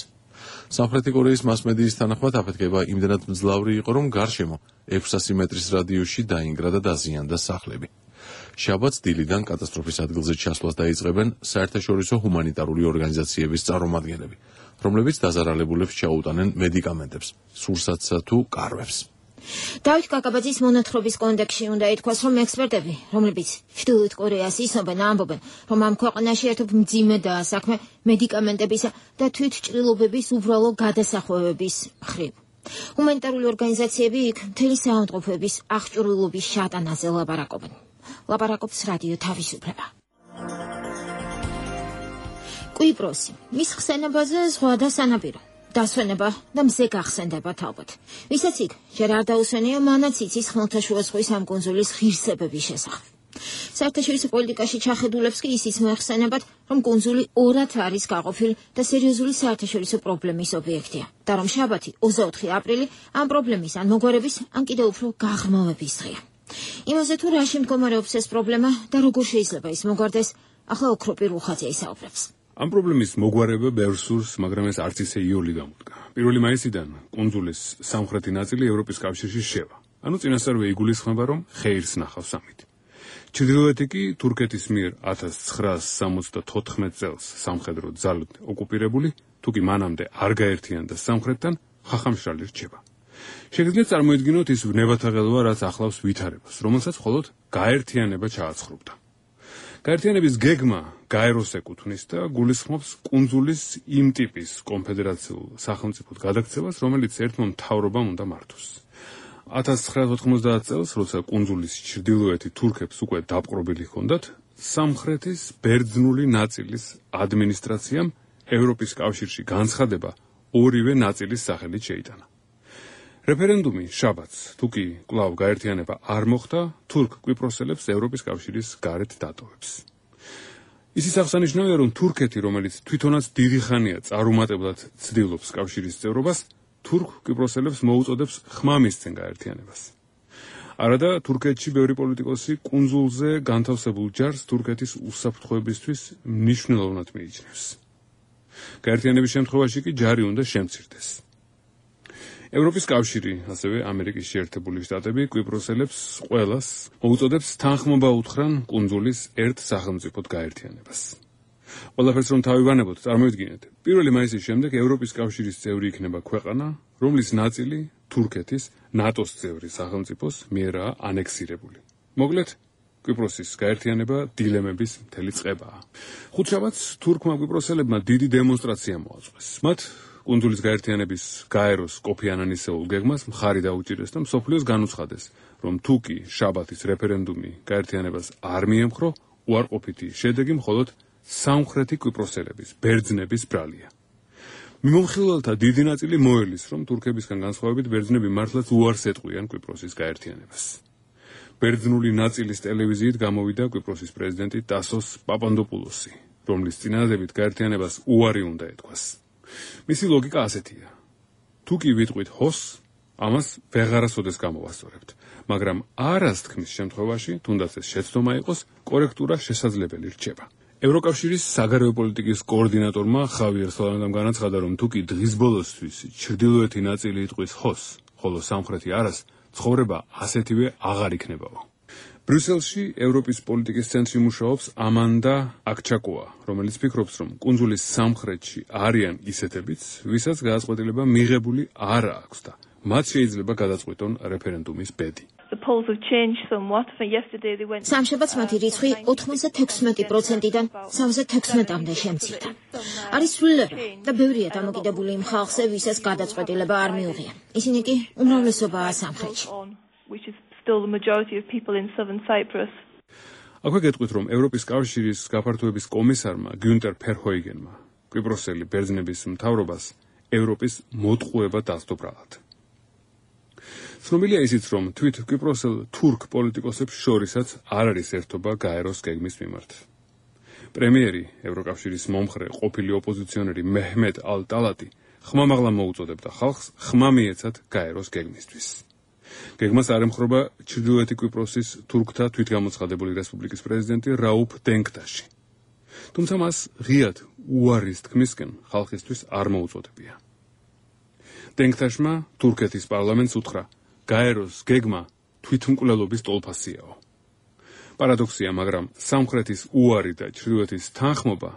[SPEAKER 4] სამხრეთი კორეის მასმედიის თანახმად აფეთქება იმდენად მძლავრი იყო, რომ გარშემო 600 მეტრის რადიუსში დაინგრა და დაზიანდა სახლები. შაბათს დილიდან კატასტროფის ადგილზე ჩასვლას დაიწყებენ საერთაშორისო ჰუმანიტარული ორგანიზაციების წარმომადგენლები, რომლებიც დაზარალებულებს ჩაუტანენ მედიკამენტებს, სურსათსა თუ კარვებს.
[SPEAKER 1] დავით კაკაბაძის მონათხრობის კონტექსტში უნდა ითქვას, რომ ექსპერტები, რომლებიც ჩრდილოეთ კორეას ისნობენ, ამბობენ, რომ ამ ქვეყანაში ერთობ მძიმე საქმე მედიკამენტებისა და თვითჭრილობების უბრალო გადასახვევების მხრივ. ჰუმანიტარული ორგანიზაციები იქ მთელი საავადმყოფოების აღჭურვილობის შატანაზე ლაპარაკობენ. ლაპარაკობს რადიო თავისუფლება. კვიპროსი, მის ხსენებაზე ზღვა და სანაპირო. დასვენება და მზე გახსენდებათ ალბათ. ვისაც იქ ჯერ არ დაუსვენია, მანაც იცის ხმელთაშუა ზღვის ამ კუნძულის ღირსებების შესახებ. საერთაშორისო პოლიტიკაში ჩახედულებს კი ისიც მოეხსენებათ, რომ კუნძული ორად არის გაყოფილი და სერიოზული საერთაშორისო პრობლემის ობიექტია. და რომ შაბათი 24 აპრილი ამ პრობლემის ან მოგვარების, ან კიდევ უფრო გაღრმავების დღეა. იმაზე თუ რაში მდგომარეობს ეს პრობლემა და როგორ შეიძლება ის მოგვარდეს, ახლა ოქროპირ უხაძე ისაუბრებს.
[SPEAKER 6] ამ პრობლემის მოგვარება ბევრს სურს, მაგრამ ეს არც ისე იოლი გამოდგა. 1 მაისიდან კუნძულის სამხრეთი ნაწილი ევროპის კავშირში შევა. ანუ წინასწარვე იგულისხმება, რომ ხეირს ნახავს ამით. ჩრდილოეთი კი თურქეთის მიერ 1974 წელს სამხედრო ძალით ოკუპირებული, თუ კი მანამდე არ გაერთიანდა სამხრეთთან, ხახამშრალი რჩება. შეგიძლიათ წარმოიდგინოთ ის ვნებათა ღელვა, რაც ახლავს ვითარებას, რომელსაც მხოლოდ გაერთიანება ჩააცხრობდა. გაერთიანების გეგმა გაეროს ეკუთვნის და გულისხმობს კუნძულის იმ ტიპის კონფედერაციულ სახელმწიფოდ გადაქცევას, რომელიც ერთმა მთავრობამ უნდა მართოს. 1990 წელს, როცა კუნძულის ჩრდილოეთი თურქებს უკვე დაპყრობილი ჰქონდათ, სამხრეთის ბერძნული ნაწილის ადმინისტრაციამ ევროპის კავშირში განცხადება ორივე ნაწილის სახელით შეიტანა. რეფერენდუმი შაბათს, თუ კი კვლავ გაერთიანება არ მოხდა, თურქ კვიპროსელებს ევროპის კავშირის გარეთ დატოვებს. ისიც აღსანიშნავია, რომ თურქეთი, რომელიც თვითონაც დიდი ხანია წარუმატებლად ცდილობს კავშირის წევრობას, თურქ კვიპროსელებს მოუწოდებს ხმამისცენ გაერთიანებას. არადა თურქეთში ბევრი პოლიტიკოსი კუნძულზე განთავსებულ ჯარს თურქეთის უსაფრთხოებისთვის მნიშვნელოვნად მიიჩნევს. გაერთიანების შემთხვევაში კი ჯარი უნდა შემცირდეს. ევროპის კავშირი, ასევე ამერიკის შეერთებული შტატები კვიპროსელებს ყველას მოუწოდებს თანხმობა უთხრან კუნძულის ერთ სახელმწიფოდ გაერთიანებას. ყველაფერს რომ თავივანებოთ, წარმოიდგინეთ, 1 მაისის შემდეგ ევროპის კავშირის წევრი იქნება ქვეყანა, რომლის ნაწილი თურქეთის ნატოს წევრი სახელმწიფოს მიერაა ანექსირებული. მოკლედ, კვიპროსის გაერთიანება დილემების მთელი წყებაა. ხუთშაბათს თურქმა კვიპროსელებმა დიდი დემონსტრაცია მოაწყვეს. მათ კუნძულის გაერთიანების გაეროს კოფი ანანისეულ გეგმას მხარი დაუჭირეს და მსოფლიოს განუცხადეს, რომ თუ კი შაბათის რეფერენდუმი გაერთიანებას არ მიემხრო, უარყოფითი შედეგი მხოლოდ სამხრეთი კვიპროსელების, ბერძნების ბრალია. მიმომხილველთა დიდი ნაწილი მოელის, რომ თურქებისგან განსხვავებით ბერძნები მართლაც უარს ეტყვიან კვიპროსის გაერთიანებას. ბერძნული ნაწილის ტელევიზიით გამოვიდა კვიპროსის პრეზიდენტი ტასოს პაპანდოპულოსი, რომლის წინადადებით გაერთიანებას უარი უნდა ეთქვას. მისი ლოგიკა ასეთია: თუ კი ვიტყვით ჰოს, ამას ვეღარასოდეს გამოვასწორებთ, მაგრამ არას თქმის შემთხვევაში, თუნდაც ეს შეცდომა იყოს, კორექტურა შესაძლებელი რჩება. ევროკავშირის საგარეო პოლიტიკის კოორდინატორმა ხავიერ სოლანამ განაცხადა, რომ თუ კი დღის ბოლოსთვის ჩრდილოეთი ნაწილი იტყვის ჰოს, ხოლო სამხრეთი არას, ცხოვრება ასეთივე აღარ იქნებაო. ბრიუსელში ევროპის პოლიტიკის ცენტრი მუშაობს ამანდა აქჩაკოა, რომელიც ფიქრობს, რომ კუნძულის სამხრეთში არიან ისეთებიც, ვისაც გადაწყვეტილება მიღებული არ აქვს და მათ შეიძლება გადაწყვეტონ რეფერენდუმის ბედი.
[SPEAKER 1] სამშაბათს მათი რიცხვი 96%-დან 76%-მდე შემცირდა. არის სრულება და ბევრია დამოკიდებული იმ ხალხზე, ვისაც გადაწყვეტილება არ მიუღია. ისინი კი უმრავლესობაა სამხრეთში.
[SPEAKER 6] აქვე გეტყვით, რომ ევროპის კავშირის გაფართოების კომისარმა გიუნტერ ფერჰოიგენმა კვიპროსელი ბერძნების მთავრობას ევროპის მოტყუება დასდო ბრალად. ცნობილია ისიც, რომ თვით კვიპროსელ თურქ პოლიტიკოსებს შორისაც არ არის ერთობა გაეროს გეგმის მიმართ. პრემიერი, ევროკავშირის მომხრე, ყოფილი ოპოზიციონერი მეჰმედ ალ-ტალატი ხმამაღლა მოუწოდებდა ხალხს ხმა მიეცათ გაეროს გეგმისთვის. გეგმას არ ემხრობა ჩრდილოეთი კვიპროსის თურქთა თვითგამოცხადებული რესპუბლიკის პრეზიდენტი რაუფ დენქტაში. თუმცა მას ღიად უარის თქმისკენ ხალხისთვის არ მოუწოდებია. დენქტაშმა თურქეთის პარლამენტს უთხრა: გაეროს გეგმა თვითმკვლელობის ტოლფასიაო. პარადოქსია, მაგრამ სამხრეთის უარი და ჩრდილოეთის თანხმობა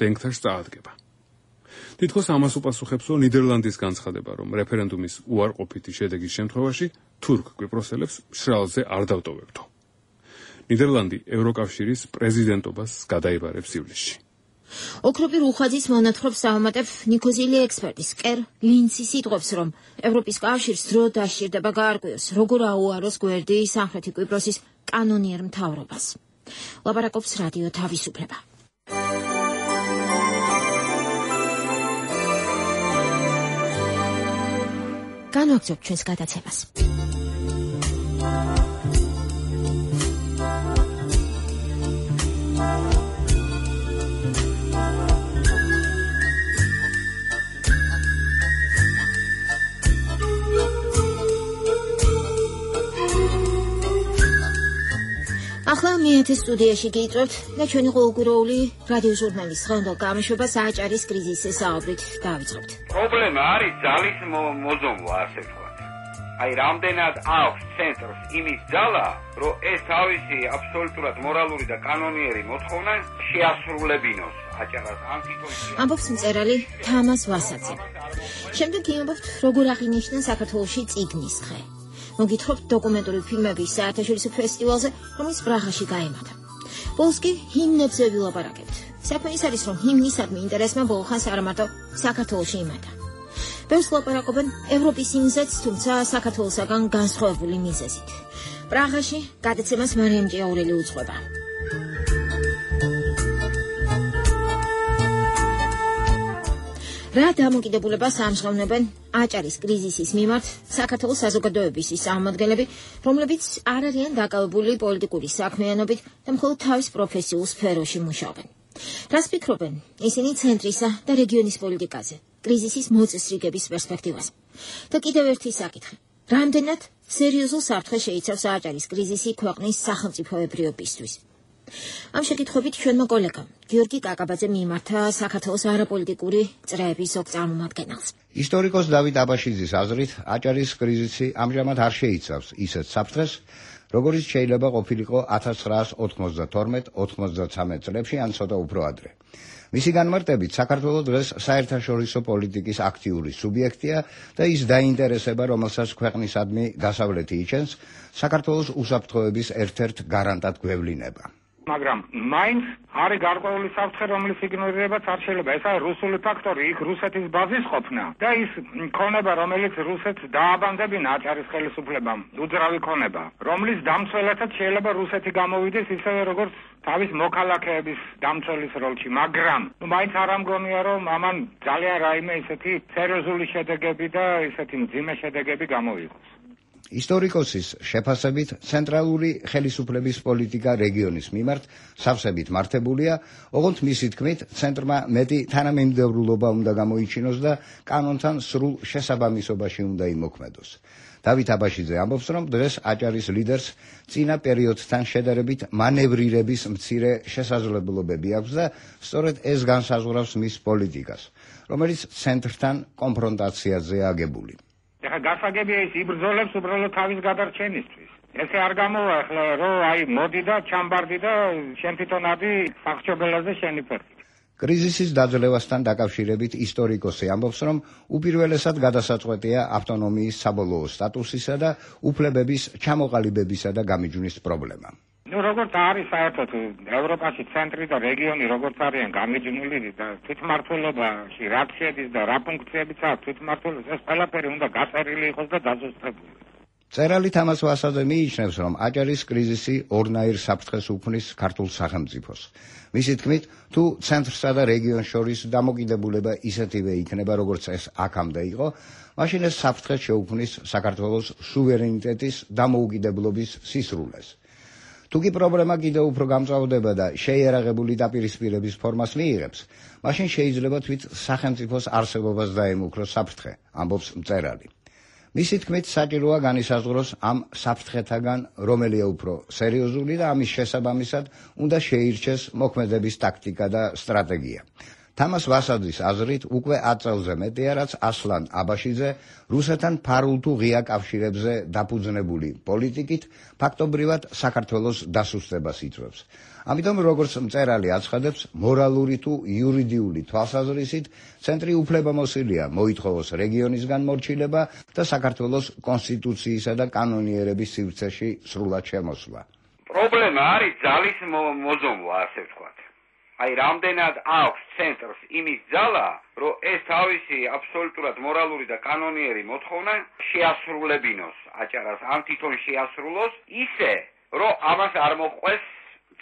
[SPEAKER 6] დენქტაშს წაადგება. თითქოს ამას უპასუხებსო ნიდერლანდის განცხადება, რომ რეფერენდუმის უარყოფითი შედეგის შემთხვევაში თურქ კვიპროსელებს მშრალზე არ დავტოვებდო. ნიდერლანდი ევროკავშირის პრეზიდენტობას გადაიბარებს ივლისში.
[SPEAKER 1] ოქროპი რუხვაძის მონათხრობს საომატებ ნიქოზილი ექსპერტის კერ ლინცი სიტყვებს, რომ ევროპის კავშირს დრო დასჭირდება გაარკვიოს, როგორ აუაროს გვერდი სამხრეთი კვიპროსის კანონიერ მთავრობას. ლაპარაკობს რადიო თავისუფლება. განვაგრძობთ ჩვენს გადაცემას. ახლა მეათე სტუდიაში გიწევთ და ჩვენი ყოველკვირეული რადიო ჟურნალის დღევანდელ გამოშვებას აჭარის კრიზისის საუბრით დავიწყებთ.
[SPEAKER 17] პრობლემა არის ძალის მოზომვა, ასე ვთქვათ. აი, რამდენად აქვს ცენტრს იმის ძალა, რომ ეს თავისი აბსოლუტურად მორალური და კანონიერი მოთხოვნა შეასრულებინოს აჭარას ამ სიტუაციაში.
[SPEAKER 1] ამბობს მწერალი თამას ვასაძე. შემდეგ იმბობთ, როგორ აღინიშნა საქართველოში წიგნის დღე. მოგითხრობთ დოკუმენტური ფილმების საერთაშორისო ფესტივალზე, რომელიც პრაღაში გაიმართა. ბოლოს კი ჰიმნებზე ვილაპარაკებთ. საქმე ის არის, რომ ჰიმნისადმი ინტერესმა ბოლო ხანს არა მარტო საქართველოში იმართა. ბევრს ლაპარაკობენ ევროპის ჰიმნზეც, თუმცა საქართველოსაგან განსხვავებული მიზეზით. პრაღაში გადაცემას მარიამ ჭიაურელი უძღვება. რა დამოკიდებულებას ამჟღავნებენ აჭარის კრიზისის მიმართ საქართველოს საზოგადოების ის წარმომადგენლები, რომლებიც არ არიან დაკავებული პოლიტიკური საქმიანობით და მხოლოდ თავის პროფესიულ სფეროში მუშაობენ. რას ფიქრობენ ისინი ცენტრისა და რეგიონის პოლიტიკაზე, კრიზისის მოწესრიგების პერსპექტივაზე? და კიდევ ერთი საკითხი. რამდენად სერიოზულ საფრთხეს შეიცავს აჭარის კრიზისი ქვეყნის სახელმწიფოებრიობისთვის? ამ შეკითხვებით ჩვენმა კოლეგამ გიორგი კაკაბაძე მიმართა საქართველოს არაპოლიტიკური წრეების ზოგ წარმომადგენელს.
[SPEAKER 20] ისტორიკოს დავით აბაშიძის აზრით, აჭარის კრიზისი ამჟამად არ შეიცავს ისეთ საფრთხეს, როგორიც შეიძლება ყოფილიყო 1992-93 წლებში ან ცოტა უფრო ადრე. მისი განმარტებით, საქართველოს დღეს საერთაშორისო პოლიტიკის აქტიური სუბიექტია და ის დაინტერესება, რომელსაც ქვეყნისადმი დასავლეთი იჩენს, საქართველოს უსაფრთხოების ერთ-ერთ გარანტად გვევლინება.
[SPEAKER 21] მაგრამ მაინც არის გარკვეული საფრთხე, რომლის იგნორირებაც არ შეიძლება. ეს არის რუსული ფაქტორი, იქ რუსეთის ბაზის ყოფნა და ის ქონება, რომელიც რუსეთს დააბანდებინა აჭარის ხელისუფლებამ, უძრავი ქონება, რომლის დამცველადაც შეიძლება რუსეთი გამოვიდეს ისევე როგორც თავის მოქალაქეების დამცველის როლში, მაგრამ მაინც არ ამგონია, რომ ამან ძალიან რაიმე ისეთი სერიოზული შედეგები და ისეთი მძიმე შედეგები გამოვიყოს.
[SPEAKER 20] ისტორიკოსის შეფასებით ცენტრალური ხელისუფლების პოლიტიკა რეგიონის მიმართ სავსებით მართებულია, ოღონდ მისი თქმით, ცენტრმა მეტი თანამიმდევრულობა უნდა გამოიჩინოს და კანონთან სრულ შესაბამისობაში უნდა იმოქმედოს. დავით აბაშიძე ამბობს, რომ დღეს აჭარის ლიდერს წინა პერიოდთან შედარებით მანევრირების მცირე შესაძლებლობები აქვს და სწორედ ეს განსაზღვრავს მის პოლიტიკას, რომელიც ცენტრთან კონფრონტაციაზეა აგებული.
[SPEAKER 21] ეხლა გასაგებია ის იბრძოლებს უბრალოდ თავის გადარჩენისთვის. ესე არ გამოვა ახლა რომ აი მოდი და ჩამბარდი და შენ თვითონ ადი სახჭობელაზე შენი ფერხი.
[SPEAKER 20] კრიზისის დაძლევასთან დაკავშირებით ისტორიკოსი ამბობს, რომ უპირველესად გადასაწყვეტია ავტონომიის საბოლოო სტატუსისა და უფლებების ჩამოყალიბებისა და გამიჯვნის პრობლემა.
[SPEAKER 21] როგორც არის საერთოდ ევროპაში ცენტრი და რეგიონი როგორც არიან გამიჯნული და თვითმმართველობაში რა შედის და რა ფუნქციებიც აქვს თვითმმართველობის, ეს ყველაფერი უნდა გაწერილი იყოს და დაზუსტებული.
[SPEAKER 20] წერალი თამას ვასაძე მიიჩნევს, რომ აჭარის კრიზისი ორნაირ საფრთხეს უქმნის ქართულ სახელმწიფოს. მისი თქმით, თუ ცენტრსა და რეგიონს შორის დამოკიდებულება ისეთივე იქნება, როგორც ეს აქამდე იყო, მაშინ ეს საფრთხე შეუქმნის საქართველოს სუვერენიტეტის დამოუკიდებლობის სისრულეს. თუკი პრობლემა კიდევ უფრო გამწვავდება და შეიარაღებული დაპირისპირების ფორმას მიიღებს, მაშინ შეიძლება თვით სახელმწიფოს არსებობას დაემუქროს საფრთხე, ამბობს მწერალი. მისი თქმით, საჭიროა განისაზღვროს ამ საფრთხეთაგან რომელია უფრო სერიოზული და ამის შესაბამისად უნდა შეირჩეს მოქმედების ტაქტიკა და სტრატეგია. თამას ვასაძის აზრით, უკვე 10 წელზე მეტია, რაც ასლან აბაშიძე რუსეთთან ფარულ თუ ღია კავშირებზე დაფუძნებული პოლიტიკით ფაქტობრივად საქართველოს დასუსტებას იწვევს. ამიტომ, როგორც მწერალი აცხადებს, მორალური თუ იურიდიული თვალსაზრისით ცენტრი უფლებამოსილია მოითხოვოს რეგიონისგან მორჩილება და საქართველოს კონსტიტუციისა და კანონიერების სივრცეში სრულად შემოსვლა.
[SPEAKER 17] პრობლემა არის ძალის მოზომვა, ასე ვთქვათ. აი რამდენად აქვს ცენტრს იმის ძალა, რომ ეს თავისი აბსოლუტურად მორალური და კანონიერი მოთხოვნა შეასრულებინოს აჭარას, ამ თვითონ შეასრულოს ისე, რომ ამას არ მოჰყვეს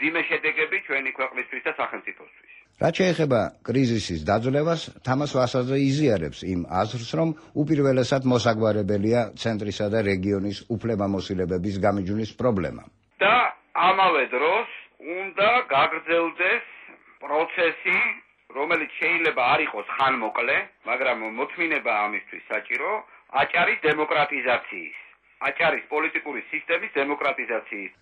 [SPEAKER 17] ძიმე შედეგები ჩვენი ქვეყნისთვის და სახელმწიფოსთვის.
[SPEAKER 20] რაც შეეხება კრიზისის დაძლევას, თამას ვასაძე იზიარებს იმ აზრს, რომ უპირველესად მოსაგვარებელია ცენტრისა და რეგიონის უფლებამოსილებების გამიჯვნის პრობლემა.
[SPEAKER 17] და ამავე დროს უნდა გაგრძელდეს პროცესი, რომელიც შეიძლება არ იყოს ხანმოკლე, მაგრამ მოთმინება ამისთვის საჭირო, აჭარის დემოკრატიზაციის, აჭარის პოლიტიკური სისტემის დემოკრატიზაციის.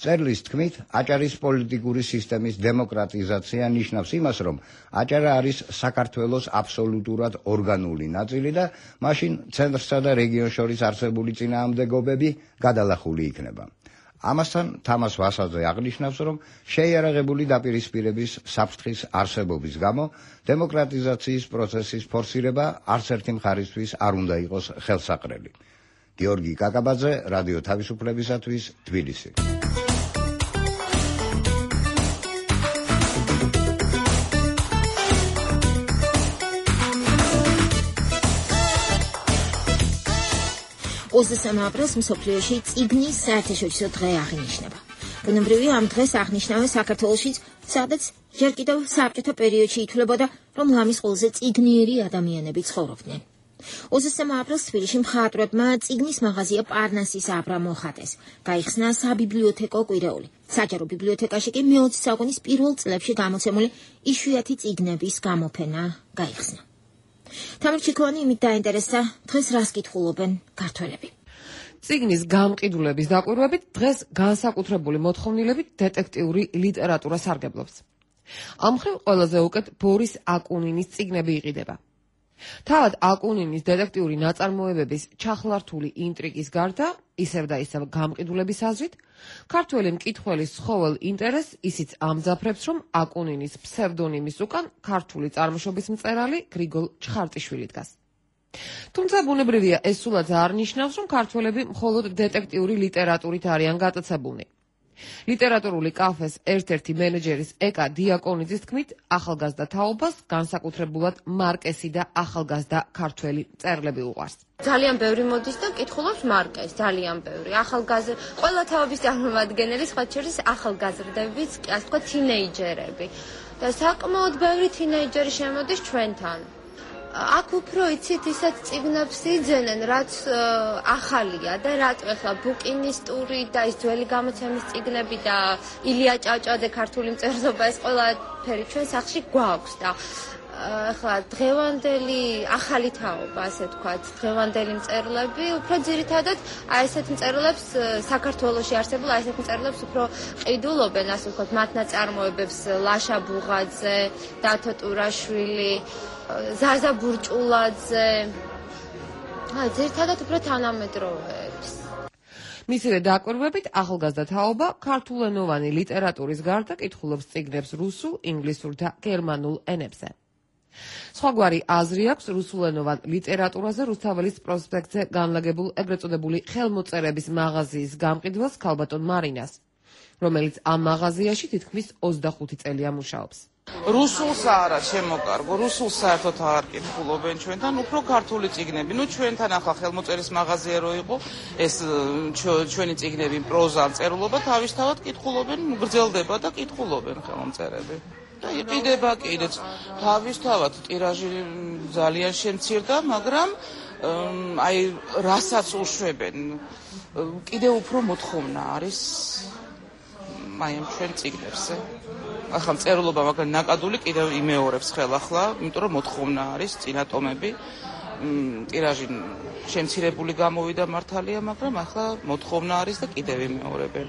[SPEAKER 20] წერლის თქმით, აჭარის პოლიტიკური სისტემის დემოკრატიზაცია ნიშნავს იმას, რომ აჭარა არის საქართველოს აბსოლუტურად ორგანული ნაწილი და მაშინ ცენტრსა და რეგიონს შორის არსებული წინააღმდეგობები გადალახული იქნება. ამასთან თამას ვასაძე აღნიშნავს, რომ შეიარაღებული დაპირისპირების საფრთხის არსებობის გამო დემოკრატიზაციის პროცესის ფორსირება არც ერთი მხარისთვის არ უნდა იყოს ხელსაყრელი. გიორგი კაკაბაძე, რადიო თავისუფლებისათვის, თბილისი.
[SPEAKER 1] aprils მსოფლიოში წიგნის საერთაშორისო დღე აღინიშნება. ბუნებრივია ამ დღეს აღნიშნავენ საქართველოშიც, სადაც ჯერ კიდევ საბჭოთა პერიოდში ითვლებოდა, რომ ლამის ყველაზე წიგნიერი ადამიანები ცხოვრობდნენ. 23 aprils თბილისში მხატვრებმა წიგნის მაღაზია პარნასის აბრა მოხატეს. გაიხსნა საბიბლიოთეკო კვირეული. საჯარო ბიბლიოთეკაში კი მე-20 საუკუნის პირველ წლებში გამოცემული იშვიათი წიგნების გამოფენა გაიხსნა. თამარ ჩიქოვანი იმით დაინტერესდა, დღეს რას კითხულობენ ქართველები.
[SPEAKER 22] წიგნის გამყიდულების დაკვირვებით დღეს განსაკუთრებული მოთხოვნილებით დეტექტიური ლიტერატურა სარგებლობს. ამ მხრივ ყველაზე უკეთ ბორის აკუნინის წიგნები იყიდება. თავად აკუნინის დეტექტიური ნაწარმოებების ჩახლართული ინტრიგის გარდა, ისევ და ისევ გამყიდულების აზრით, ქართველი მკითხველის ცხოველ ინტერესს ისიც ამძაფრებს, რომ აკუნინის ფსევდონიმის უკან ქართული წარმოშობის მწერალი გრიგოლ ჩხარტიშვილი დგას. თუმცა ბუნებრივია ეს სულაც არ ნიშნავს, რომ ქართველები მხოლოდ დეტექტიური ლიტერატურით არიან გატაცებულნი. ლიტერატურული კაფეს ერთ-ერთი მენეჯერის ეკა დიაკონიძის თქმით, ახალგაზრდა თაობას განსაკუთრებულად მარკესი და ახალგაზრდა ქართველი მწერლები უყვარს.
[SPEAKER 2] ძალიან ბევრი მოდის და კითხულობს მარკეს, ძალიან ბევრი. ყველა თაობის წარმომადგენელი, სხვა შორის ახალგაზრდებიც, ასე ვთქვათ, თინეიჯერები. და საკმაოდ ბევრი თინეიჯერი შემოდის ჩვენთან. აქ უფრო იცით ისეთ წიგნებს იძენენ, რაც ახალია და რატო ახლა ბუკინისტური და ის ძველი გამოცემის წიგნები და ილია ჭავჭავაძე ქართული მწერლობა ეს ყველაფერი ჩვენ სახლში გვაქვს და ახლა დღევანდელი ახალი თაობა, ასე ვთქვათ, დღევანდელი მწერლები უფრო ძირითადად ესეთ მწერლებს საქართველოში არსებულ ესეთ მწერლებს უფრო ყიდულობენ, ასე ვთქვათ, მათ ნაწარმოებებს ლაშა ბუღაძე, დათო ტურაშვილი, ზაზა ბურჭულაძე, ძირითადად უფრო თანამედროვეებს.
[SPEAKER 22] მისივე დაკვირვებით, ახალგაზრდა თაობა ქართულენოვანი ლიტერატურის გარდა კითხულობს წიგნებს რუსულ, ინგლისურ და გერმანულ ენებზე. სხვაგვარი აზრი აქვს რუსულენოვან ლიტერატურაზე რუსთაველის პროსპექტზე განლაგებულ ეგრეთ წოდებული ხელმოწერების მაღაზიის გამყიდველს ქალბატონ მარინას, რომელიც ამ მაღაზიაში თითქმის 25 წელია მუშაობს.
[SPEAKER 5] რუსულსა არა შემოკარგო, რუსულს საერთოდ არ კითხულობენ ჩვენთან, უფრო ქართული წიგნები. ჩვენთან ახლა ხელმოწერის მაღაზია რო იყო, ეს ჩვენი წიგნები პროზა წერილობა თავისთავად კითხულობენ, გრძელდება და კითხულობენ ხელმოწერები. და იყიდება კიდეც თავისთავად ტირაჟი ძალიან შემცირდა, მაგრამ აი რასაც უშვებენ, კიდევ უფრო მოთხოვნა არის აი ამ ჩვენ წიგნებზე. ახლა წერილობა მაგრამ ნაკადული კიდევ იმეორებს ხელახლა, იმიტომ რომ მოთხოვნა არის წინა ტომები. ტირაჟი შემცირებული გამოვიდა მართალია, მაგრამ ახლა მოთხოვნა არის და კიდევ იმეორებენ.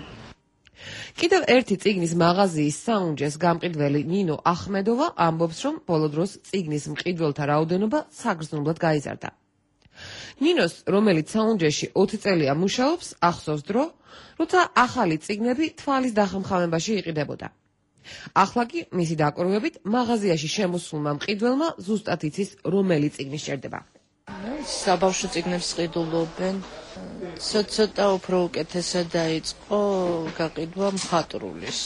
[SPEAKER 22] კიდევ ერთი წიგნის მაღაზიის საუნჯეს გამყიდველი ნინო ახმედოვა ამბობს, რომ ბოლო დროს წიგნის მყიდველთა რაოდენობა საგრძნობლად გაიზარდა. ნინოს, რომელიც საუნჯეში 20 წელია მუშაობს, ახსოვს დრო, როცა ახალი წიგნები თვალის დახმამებაში იყიდებოდა. ახლა კი მისი დაკვირვებით მაღაზიაში შემოსულმა მყიდველმა ზუსტად იცის, რომელი წიგნი სჭირდება.
[SPEAKER 23] საბავშვო წიგნებს ყიდულობენ. ცოტა უფრო უკეთესად დაიწყო გაყიდვა მხატვრულის,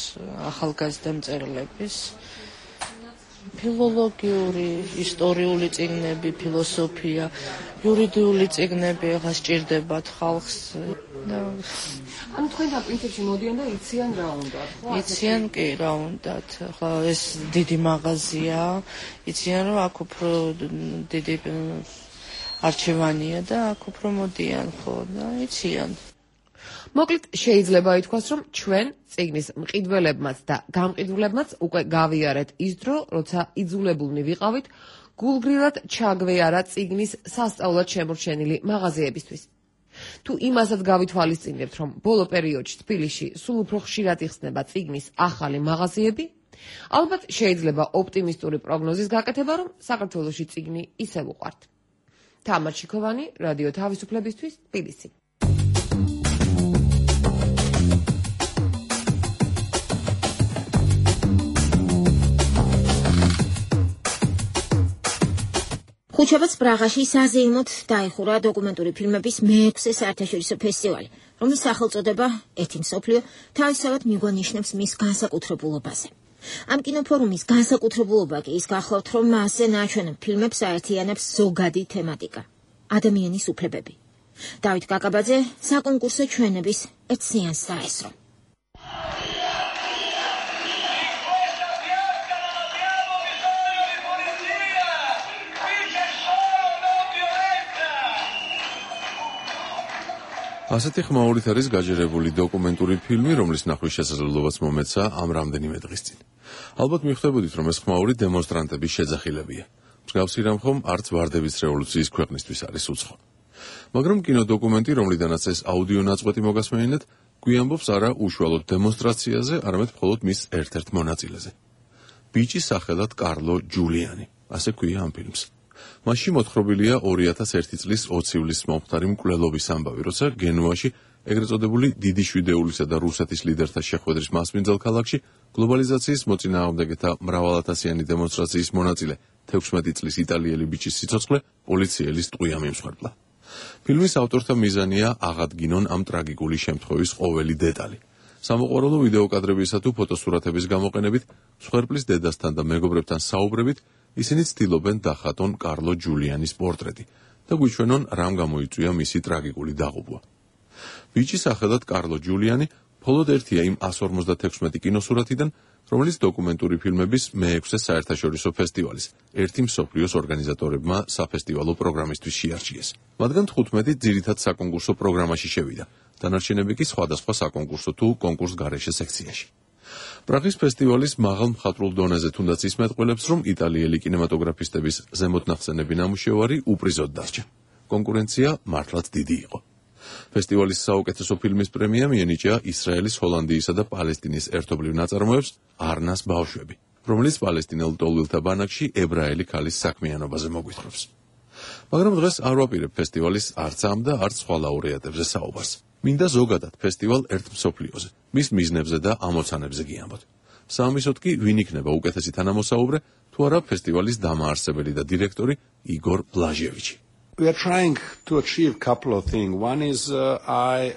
[SPEAKER 23] ახალგაზრდა მწერლების. ფილოლოგიური, ისტორიული წიგნები, ფილოსოფია, იურიდიული წიგნები ახლა სჭირდებათ ხალხს.
[SPEAKER 22] ანუ თქვენ და პრინციპში მოდიან და იციან რა უნდათ, ხო?
[SPEAKER 23] იციან კი რა უნდათ. ახლა ეს დიდი მაღაზია, იციან რომ აქ უფრო დიდი არჩევანია და აქ უფრო მოდიან, ხო, და იციან.
[SPEAKER 22] მოკლედ შეიძლება ითქვას, რომ ჩვენ წიგნის მყიდველებმაც და გამყიდვლებმაც უკვე გავიარეთ ის დრო, როცა იძულებულნი ვიყავით გულგრილად ჩაგვეარა წიგნის სასწაულად შემორჩენილი მაღაზიებისთვის. თუ იმასაც გავითვალისწინებთ, რომ ბოლო პერიოდში თბილისში სულ უფრო ხშირად იხსნება წიგნის ახალი მაღაზიები, ალბათ შეიძლება ოპტიმისტური პროგნოზის გაკეთება, რომ საქართველოში წიგნი ისევ უყვართ. თამარ ჩიქოვანი, რადიო თავისუფლებისთვის, თბილისი.
[SPEAKER 1] ხუთშაბათს პრაღაში საზეიმოდ დაიხურა დოკუმენტური ფილმების მე-6 საერთაშორისო ფესტივალი, რომლის სახელწოდება „ერთი მსოფლიო“ თავისთავად მიგვანიშნებს მის განსაკუთრებულობაზე. ამ კინოფორუმის განსაკუთრებულობა კი ის გახლავთ, რომ მასზე ნაჩვენებ ფილმებს აერთიანებს ზოგადი თემატიკა – ადამიანის უფლებები. დავით კაკაბაძე საკონკურსო ჩვენების ერთ სეანსს დაესწრო.
[SPEAKER 4] ასეთი ხმაურით არის გაჯერებული დოკუმენტური ფილმი, რომლის ნახვის შესაძლებლობაც მომეცა ამ რამდენიმე დღის წინ. ალბათ მიხვდებოდით, რომ ეს ხმაური დემონსტრანტების შეძახილებია. მსგავსი რამ ხომ არც ვარდების რევოლუციის ქვეყნისთვის არის უცხო. მაგრამ კინოდოკუმენტი, რომლიდანაც ეს აუდიო ნაწყვეტი მოგასმენინეთ, გვიამბობს არა უშუალოდ დემონსტრაციაზე, არამედ მხოლოდ მის ერთ-ერთ მონაწილეზე. ბიჭის სახელად კარლო ჯულიანი, ასე ქვია ამ ფილმს. მასში მოთხრობილია 2001 წლის 20 ივლისს მომხდარი მკვლელობის ამბავი, როცა გენუაში, ეგრეთ წოდებული დიდი შვიდეულისა და რუსეთის ლიდერთა შეხვედრის მასპინძელ ქალაქში, გლობალიზაციის მოწინააღმდეგეთა მრავალათასიანი დემონსტრაციის მონაწილე 16 წლის იტალიელი ბიჭის სიცოცხლე პოლიციელის ტყვია მიმსხვერპლა. ფილმის ავტორთა მიზანია აღადგინონ ამ ტრაგიკული შემთხვევის ყოველი დეტალი. სამოყვარულო ვიდეო კადრებისა თუ ფოტოსურათების გამოყენებით, მსხვერპლის დედასთან და მეგობრებთან საუბრებით, ისინი ცდილობენ დახატონ კარლო ჯულიანის პორტრეტი და გვიჩვენონ რამ გამოიწვია მისი ტრაგიკული დაღუპვა. ბიჭის სახელად კარლო ჯულიანი მხოლოდ ერთია იმ 156 კინოსურათიდან, რომელიც დოკუმენტური ფილმების მე-6 საერთაშორისო ფესტივალის, ერთი მსოფლიოს ორგანიზატორებმა საფესტივალო პროგრამისთვის შეარჩიეს. მათგან 15 ძირითად საკონკურსო პროგრამაში შევიდა, დანარჩენები კი სხვადასხვა საკონკურსო თუ კონკურსგარეშე სექციაში. პრაღის ფესტივალის მაღალ მხატვრულ დონეზე თუნდაც ისმეტყველებს, რომ იტალიელი კინემატოგრაფისტების ზემოთნახსენები ნამუშევარი უპრიზოდ დარჩა. კონკურენცია მართლაც დიდი იყო. ფესტივალის საუკეთესო ფილმის პრემია მიენიჭა ისრაელის, ჰოლანდიისა და პალესტინის ერთობლივ ნაწარმოებს „არნას ბავშვები“, რომელიც პალესტინელ ლტოლვილთა ბანაკში ებრაელი ქალის საქმიანობაზე მოგვითხრობს. მაგრამ დღეს არ ვაპირებ ფესტივალის არც ამ და არც სხვა ლაურეატებზე საუბარს. მინდა ზოგადად ფესტივალ ერთ მსოფლიოზე, მის მიზნებზე და ამოცანებზე გიამბოთ. საამისოდ კი ვინ იქნება უკეთესი თანამოსაუბრე, თუ არა ფესტივალის დამაარსებელი და დირექტორი იგორ ბლაჟევიჩი.
[SPEAKER 7] We are trying to achieve a couple of things. One is I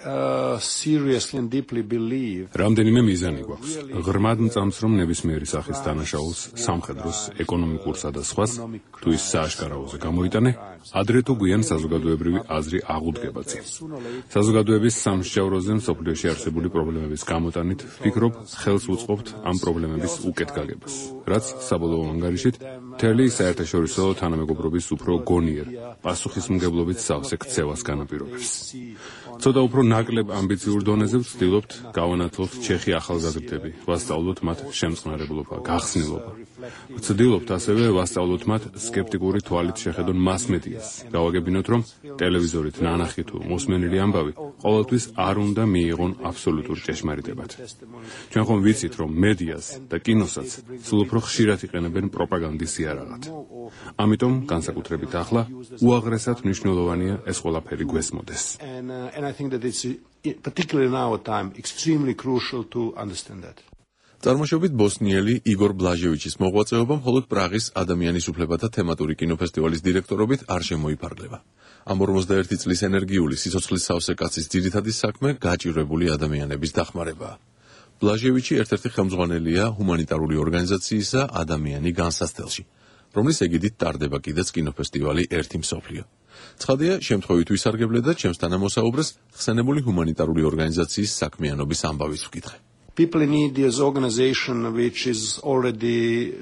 [SPEAKER 7] seriously and deeply believe.
[SPEAKER 6] რამდენიმე მიზანი გვაქვს. ღრმად მწამს, რომ ნებისმიერი სახის დანაშაულს, სამხედროს, ეკონომიკურსა და სხვას, თუ ის სააშკარაოზე გამოიტანე, ადრე თუ გვიან საზოგადოებრივი აზრი აღუდგებაზე. საზოგადოების სამსჯავროზე მსოფლიოში არსებული პრობლემების გამოტანით, ვფიქრობ, ხელს უწყობთ ამ პრობლემების უკეთ გაგებას, რაც საბოლოო ანგარიშით მთელი საერთაშორისო თანამეგობრობის უფრო გონიერ პასუხისმგებლობით სავსე ქცევას განაპირობებს. ცოტა უფრო ნაკლებ ამბიციურ დონეზე ვცდილობთ გავანათლოთ ჩეხი ახალგაზრდები, ვასწავლოთ მათ შემწყნარებლობა, გახსნილობა. ვცდილობთ ასევე ვასწავლოთ მათ სკეპტიკური თვალით შეხედონ მასმედიას. გავაგებინოთ, რომ ტელევიზორით ნანახი თუ მოსმენილი ამბავი ყოველთვის არ უნდა მიიღონ აბსოლუტურ ჭეშმარიტებად. ჩვენ ხომ ვიცით, რომ მედიას და კინოსაც სულ უფრო ხშირად იყენებენ პროპაგანდის იარაღად. ამიტომ განსაკუთრებით ახლა უაღრესად მნიშვნელოვანია ეს ყველაფერი გვესმოდეს.
[SPEAKER 7] And I think that it's particularly in our time extremely crucial to understand that.
[SPEAKER 4] წარმოშობით ბოსნიელი იგორ ბლაჟევიჩის მოღვაწეობა მხოლოდ პრაღის ადამიანის უფლებათა თემატური კინოფესტივალის დირექტორობით არ შემოიფარგლება. ამ 41 წლის ენერგიული სიცოცხლის სავსე კაცის ძირითადი საქმე გაჭირვებული ადამიანების დახმარებაა. ბლაჟევიჩი ერთ-ერთი ხელმძღვანელია ჰუმანიტარული ორგანიზაციისა ადამიანი განსაცდელში, რომლის ეგიდით ტარდება კიდეც კინოფესტივალი ერთი მსოფლიო. ცხადია, შემთხვევით ვისარგებლე და ჩემს თანამოსაუბრეს ხსენებული ჰუმანიტარული ორგანიზაციის საქმიანობის ამბავიც ვკითხე.
[SPEAKER 7] People need this organization which is already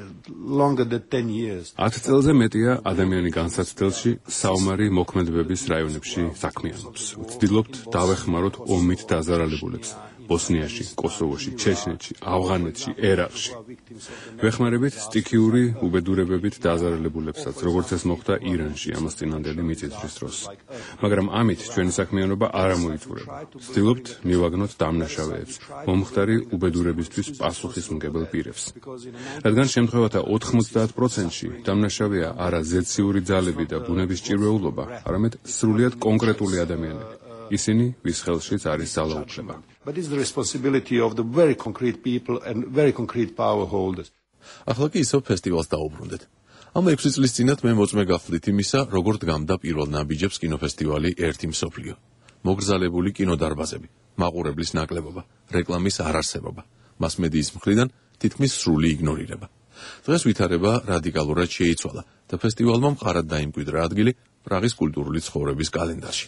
[SPEAKER 7] longer than 10 years.
[SPEAKER 6] 10 წელზე მეტია ადამიანი განსაცდელში საომარი მოქმედებების რაიონებში საქმიანობს. ვცდილობთ დავეხმაროთ ომით დაზარალებულებს. ბოსნიაში, კოსოვოში, ჩეჩნეთში, ავღანეთში, ერაყში. ვეხმარებით სტიქიური უბედურებებით დაზარალებულებსაც, როგორც ეს მოხდა ირანში ამას წინანდელი მიწისძვრის დროს. მაგრამ ამით ჩვენი საქმიანობა არ ამოიწურება. ვცდილობთ მივაგნოთ დამნაშავეებს, მომხდარი უბედურებისთვის პასუხისმგებელ პირებს. რადგან შემთხვევათა 90%-ში დამნაშავეა არა ზეციური ძალები და ბუნების ჭირვეულობა, არამედ სრულიად კონკრეტული ადამიანები. ისინი ვის ხელშიც არის ძალაუფლება.
[SPEAKER 7] But it's the responsibility of the very concrete people and very concrete power holders.
[SPEAKER 4] ახლა კი ისევ ფესტივალს დაუბრუნდეთ. ამ 6 წლის წინათ მე მოწმე გახდით იმისა, როგორ დგამდა პირველ ნაბიჯებს კინოფესტივალი ერთი მსოფლიო. მოგრძალებული კინოდარბაზები, მაყურებლის ნაკლებობა, რეკლამის არარსებობა, მასმედიის მხრიდან თითქმის სრული იგნორირება. დღეს ვითარება რადიკალურად შეიცვალა და ფესტივალმა მყარად დაიმკვიდრა ადგილი პრაღის კულტურული ცხოვრების კალენდარში.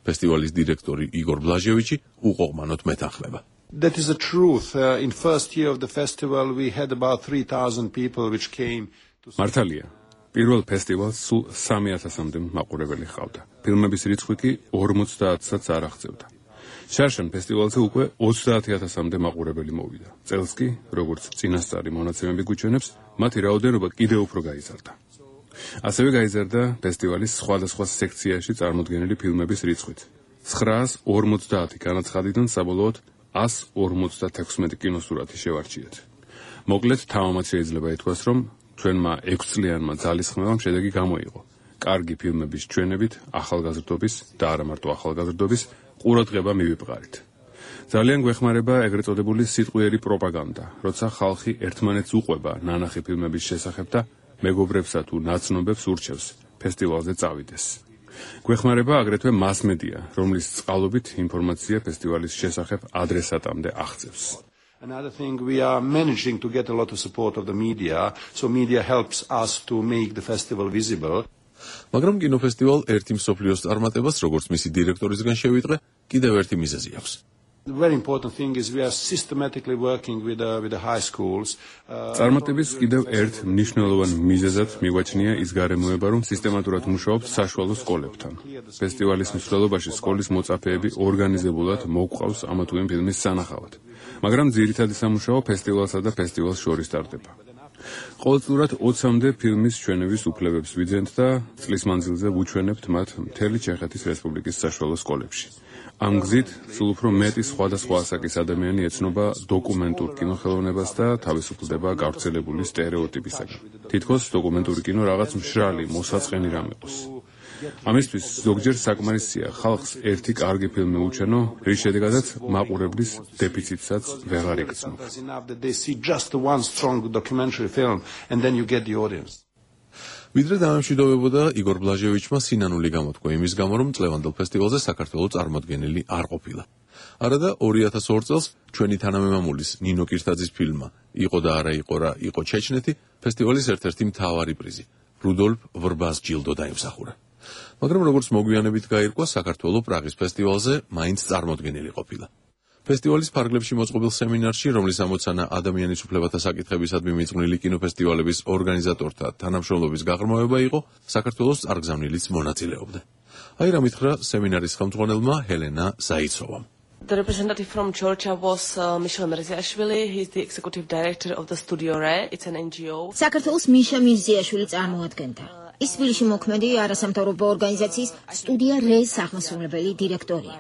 [SPEAKER 4] ფესტივალის დირექტორი იგორ ბლაჟევიჩი უყოღმანოდ მეთანხმება.
[SPEAKER 7] That is the truth. In first year of the festival we had about 3000 people which came to
[SPEAKER 6] მართალია. პირველ ფესტივალს სულ 3000-მდე მაყურებელი ჰყავდა. ფილმების რიცხვი კი 50-საც არ აღწევდა. შარშან ფესტივალზე უკვე 30000-მდე მაყურებელი მოვიდა. წელს კი, როგორც წინასწარი მონაცემები გვიჩვენებს, მათი რაოდენობა კიდევ უფრო გაიზარდა. ასევე გაიზარდა ფესტივალის სხვადასხვა სექციაში წარმოდგენილი ფილმების რიცხვით. 950 განაცხადიდან საბოლოოდ 156 კინოსურათი შევარჩიეთ. მოკლედ, თავამაც შეიძლება ითქვას, რომ ჩვენმა 6 წლიანმა ძალისხმევამ შედეგი გამოიღო. კარგი ფილმების ჩვენებით ახალგაზრდობის და არა მარტო ახალგაზრდობის ყურადღება მივიპყარით. ძალიან გვეხმარება ეგრეთ წოდებული სიტყვიერი პროპაგანდა, როცა ხალხი ერთმანეთს უყვება ნანახი ფილმების შესახებ და მეგობრებსა თუ ნაცნობებს ურჩევს ფესტივალზე წავიდეს. გვეხმარება აგრეთვე მასმედია, რომლის წყალობით ინფორმაცია ფესტივალის შესახებ ადრესატამდე აღწევს.
[SPEAKER 7] Another thing, we are managing to get a lot of support of the media, so media helps us to make the festival visible.
[SPEAKER 4] მაგრამ კინოფესტივალ ერთი მსოფლიოს წარმატებას, როგორც მისი დირექტორისგან შევიტყე, კიდევ ერთი მიზეზი აქვს.
[SPEAKER 7] The very important thing is we are systematically working with the high schools.
[SPEAKER 6] წარმატების კიდევ ერთ მნიშვნელოვან მიზეზად მიგვაჩნია ის გარემოება, რომ სისტემატურად მუშაობთ საშუალო სკოლებთან. ფესტივალის მსვლელობაში სკოლის მოწაფეები ორგანიზებულად მოგვყავს ამა თუ იმ ფილმის სანახავად. მაგრამ ძირითადი სამუშაო ფესტივალსა და ფესტივალს შორის ტარდება. ყოველწლიურად 20-მდე ფილმის ჩვენების უფლებებს ვიძენთ და წლის მანძილზე ვუჩვენებთ მათ მთელი ჩეხეთის რესპუბლიკის საშუალო სკოლებში. ამ გზით სულ უფრო მეტი სხვადასხვა ასაკის ადამიანი ეცნობა დოკუმენტურ კინოხელოვნებას და თავისუფლდება გავრცელებული სტერეოტიპისაგან. თითქოს დოკუმენტური კინო რაღაც მშრალი, მოსაწყენი რამ იყოს. ამისთვის ზოგჯერ საკმარისია ხალხს ერთი კარგი ფილმი უჩვენო, რის შედეგადაც მაყურებლის დეფიციტსაც ვეღარ იგრძნობს.
[SPEAKER 4] ვიდრე დამემშვიდობებოდა იგორ ბლაჟევიჩმა სინანული გამოთქვა იმის გამო, რომ წლევანდელ ფესტივალზე საქართველოს წარმოდგენილი არ ყოფილა. არადა 2002 წელს ჩვენი თანამემამულის ნინო კირთაძის ფილმმა იყო და არა იყო რა იყო ჩეჩნეთი ფესტივალის ერთ-ერთი მთავარი პრიზი რუდოლფ ვრბას ჯილდო დაიმსახურა. მაგრამ როგორც მოგვიანებით გაირკვა, საქართველოს პრაღის ფესტივალზე მაინც წარმოდგენილი ყოფილა. ფესტივალის ფარგლებში მოწყობილ სემინარში, რომლის ამოცანა ადამიანის უფლებათა საკითხებისადმი მიძღვნილი კინოფესტივალების ორგანიზატორთა თანამშრომლობის გაღრმავება იყო, საქართველოს წარგზავნილიც მონაწილეობდა. აი რა მითხრა სემინარის ხელმძღვანელმა ჰელენა ზაიცოვამ.
[SPEAKER 8] The representative from Georgia was Michel Mirziashvili. He is the executive director of the Studio Re. It's an NGO.
[SPEAKER 1] საქართველოს მიშა მირზიაშვილი წარმოადგენდა. ის თბილისში მოქმედი არასამთავრობო ორგანიზაციის სტუდია რეს აღმასრულებელი დირექტორია.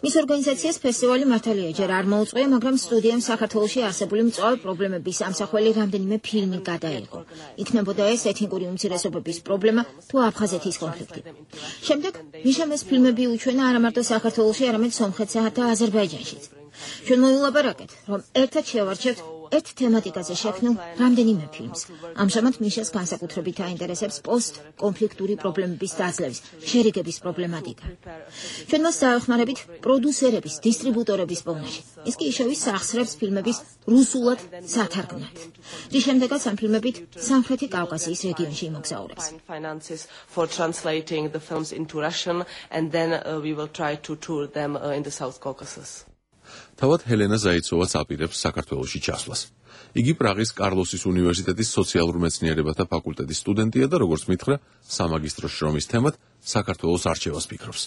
[SPEAKER 1] მის ორგანიზაციას ფესტივალი მართალია ჯერ არ მოუწყვია, მაგრამ სტუდიამ საქართველოში არსებული მწვავე პრობლემების ამსახველი რამდენიმე ფილმი გადაიღო. იქნებოდა ეს ეთნიკური უმცირესობების პრობლემა თუ აფხაზეთის კონფლიქტი. შემდეგ მიშამ ეს ფილმები უჩვენა არა მარტო საქართველოში, არამედ სომხეთსა და აზერბაიჯანშიც. ჩვენ მოვილაპარაკეთ, რომ ერთად შევარჩევთ ერთ თემატიკაზე შექმნილ რამდენიმე ფილმს. ამჟამად მიშას განსაკუთრებით აინტერესებს პოსტ-კონფლიქტური პრობლემების დაძლევის, შერიგების პრობლემატიკა. ჩვენ მას დაეხმარებით პროდიუსერების, დისტრიბუტორების პოვნაში. ის კი ისევ სახსრებს ფილმების რუსულად სათარგმნად. რის შემდეგაც ამ ფილმებით სამხრეთი კავკასიის რეგიონში იმოგზაურებს.
[SPEAKER 8] Finances for translating the films into Russian, and then we will try to tour them in the South Caucasus.
[SPEAKER 4] თავად ჰელენა ზაიცოვაც აპირებს საქართველოში ჩასვლას. იგი პრაღის კარლოსის უნივერსიტეტის სოციალურ მეცნიერებათა ფაკულტეტის სტუდენტია და როგორც მითხრა, სამაგისტრო შრომის თემად საქართველოს არჩევას ფიქრობს.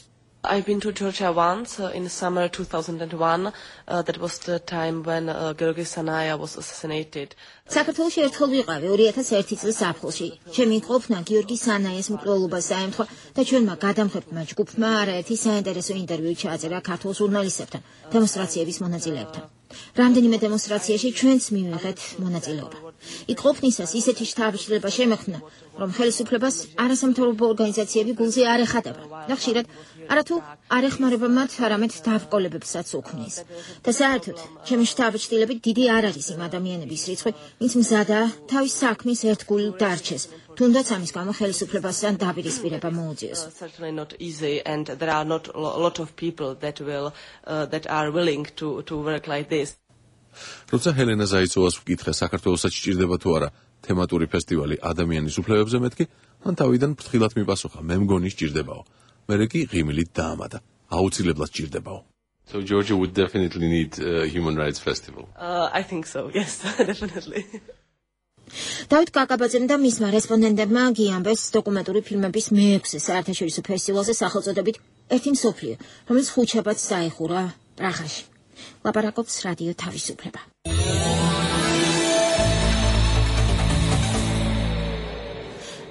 [SPEAKER 8] I've been to Georgia once in summer 2001. That was the time when Georgi Sanaya was assassinated.
[SPEAKER 1] საქართველოში ერთხელ ვიყავი 2001 წლის აპრილში. ჩემი ყოფნა გიორგი სანაიას მკვლელობას დაემთხვა და ჩვენმა გადამხებმა ჯგუფმა არაერთი საინტერესო ინტერვიუ ჩააწერა ქართულ ჟურნალისტებთან, დემონსტრაციების მონაწილეებთან. რამდენიმე დემონსტრაციაში ჩვენც მივიღეთ მონაწილეობა. იქ ყოფნისას ისეთი შთაბეჭდილება შემექმნა, რომ ხელისუფლებას არასამთავრობო ორგანიზაციები გულზე არ ეხატება და ხშირად არათუ არ ეხმარება მათ, არამედ დაავკოლებებსაც უქმნის. და საერთოდ, ჩემი შთაბეჭდილებით დიდი არ არის იმ ადამიანების რიცხვი, ვინც მზადაა თავის საქმის ერთგული დარჩეს, თუნდაც ამის გამო ხელისუფლებასთან დაპირისპირება მოუწიოს.
[SPEAKER 8] Certainly not easy, and there are not a lot of people that are willing to work like this.
[SPEAKER 4] როცა ჰელენა ზაიცოვას ვკითხე საქართველოსაც სჭირდება თუ არა თემატური ფესტივალი ადამიანის უფლებებზე მეთქი, მან თავიდან ფრთხილად მიპასუხა, მე მგონი სჭირდებაო. მერე კი ღიმილით დაამატა, აუცილებლად სჭირდებაო.
[SPEAKER 9] So Georgia would definitely need a human rights festival.
[SPEAKER 8] I think so, yes, definitely.
[SPEAKER 1] დავით კაკაბაძემ და მისმა რესპონდენტებმა გიამბეს დოკუმენტური ფილმების მე-6 საერთაშორისო ფესტივალზე სახელწოდებით ერთი მსოფლიო, რომელიც ხუთშაბათს დაიხურა პრაღაში. ლაპარაკობს რადიო თავისუფლება.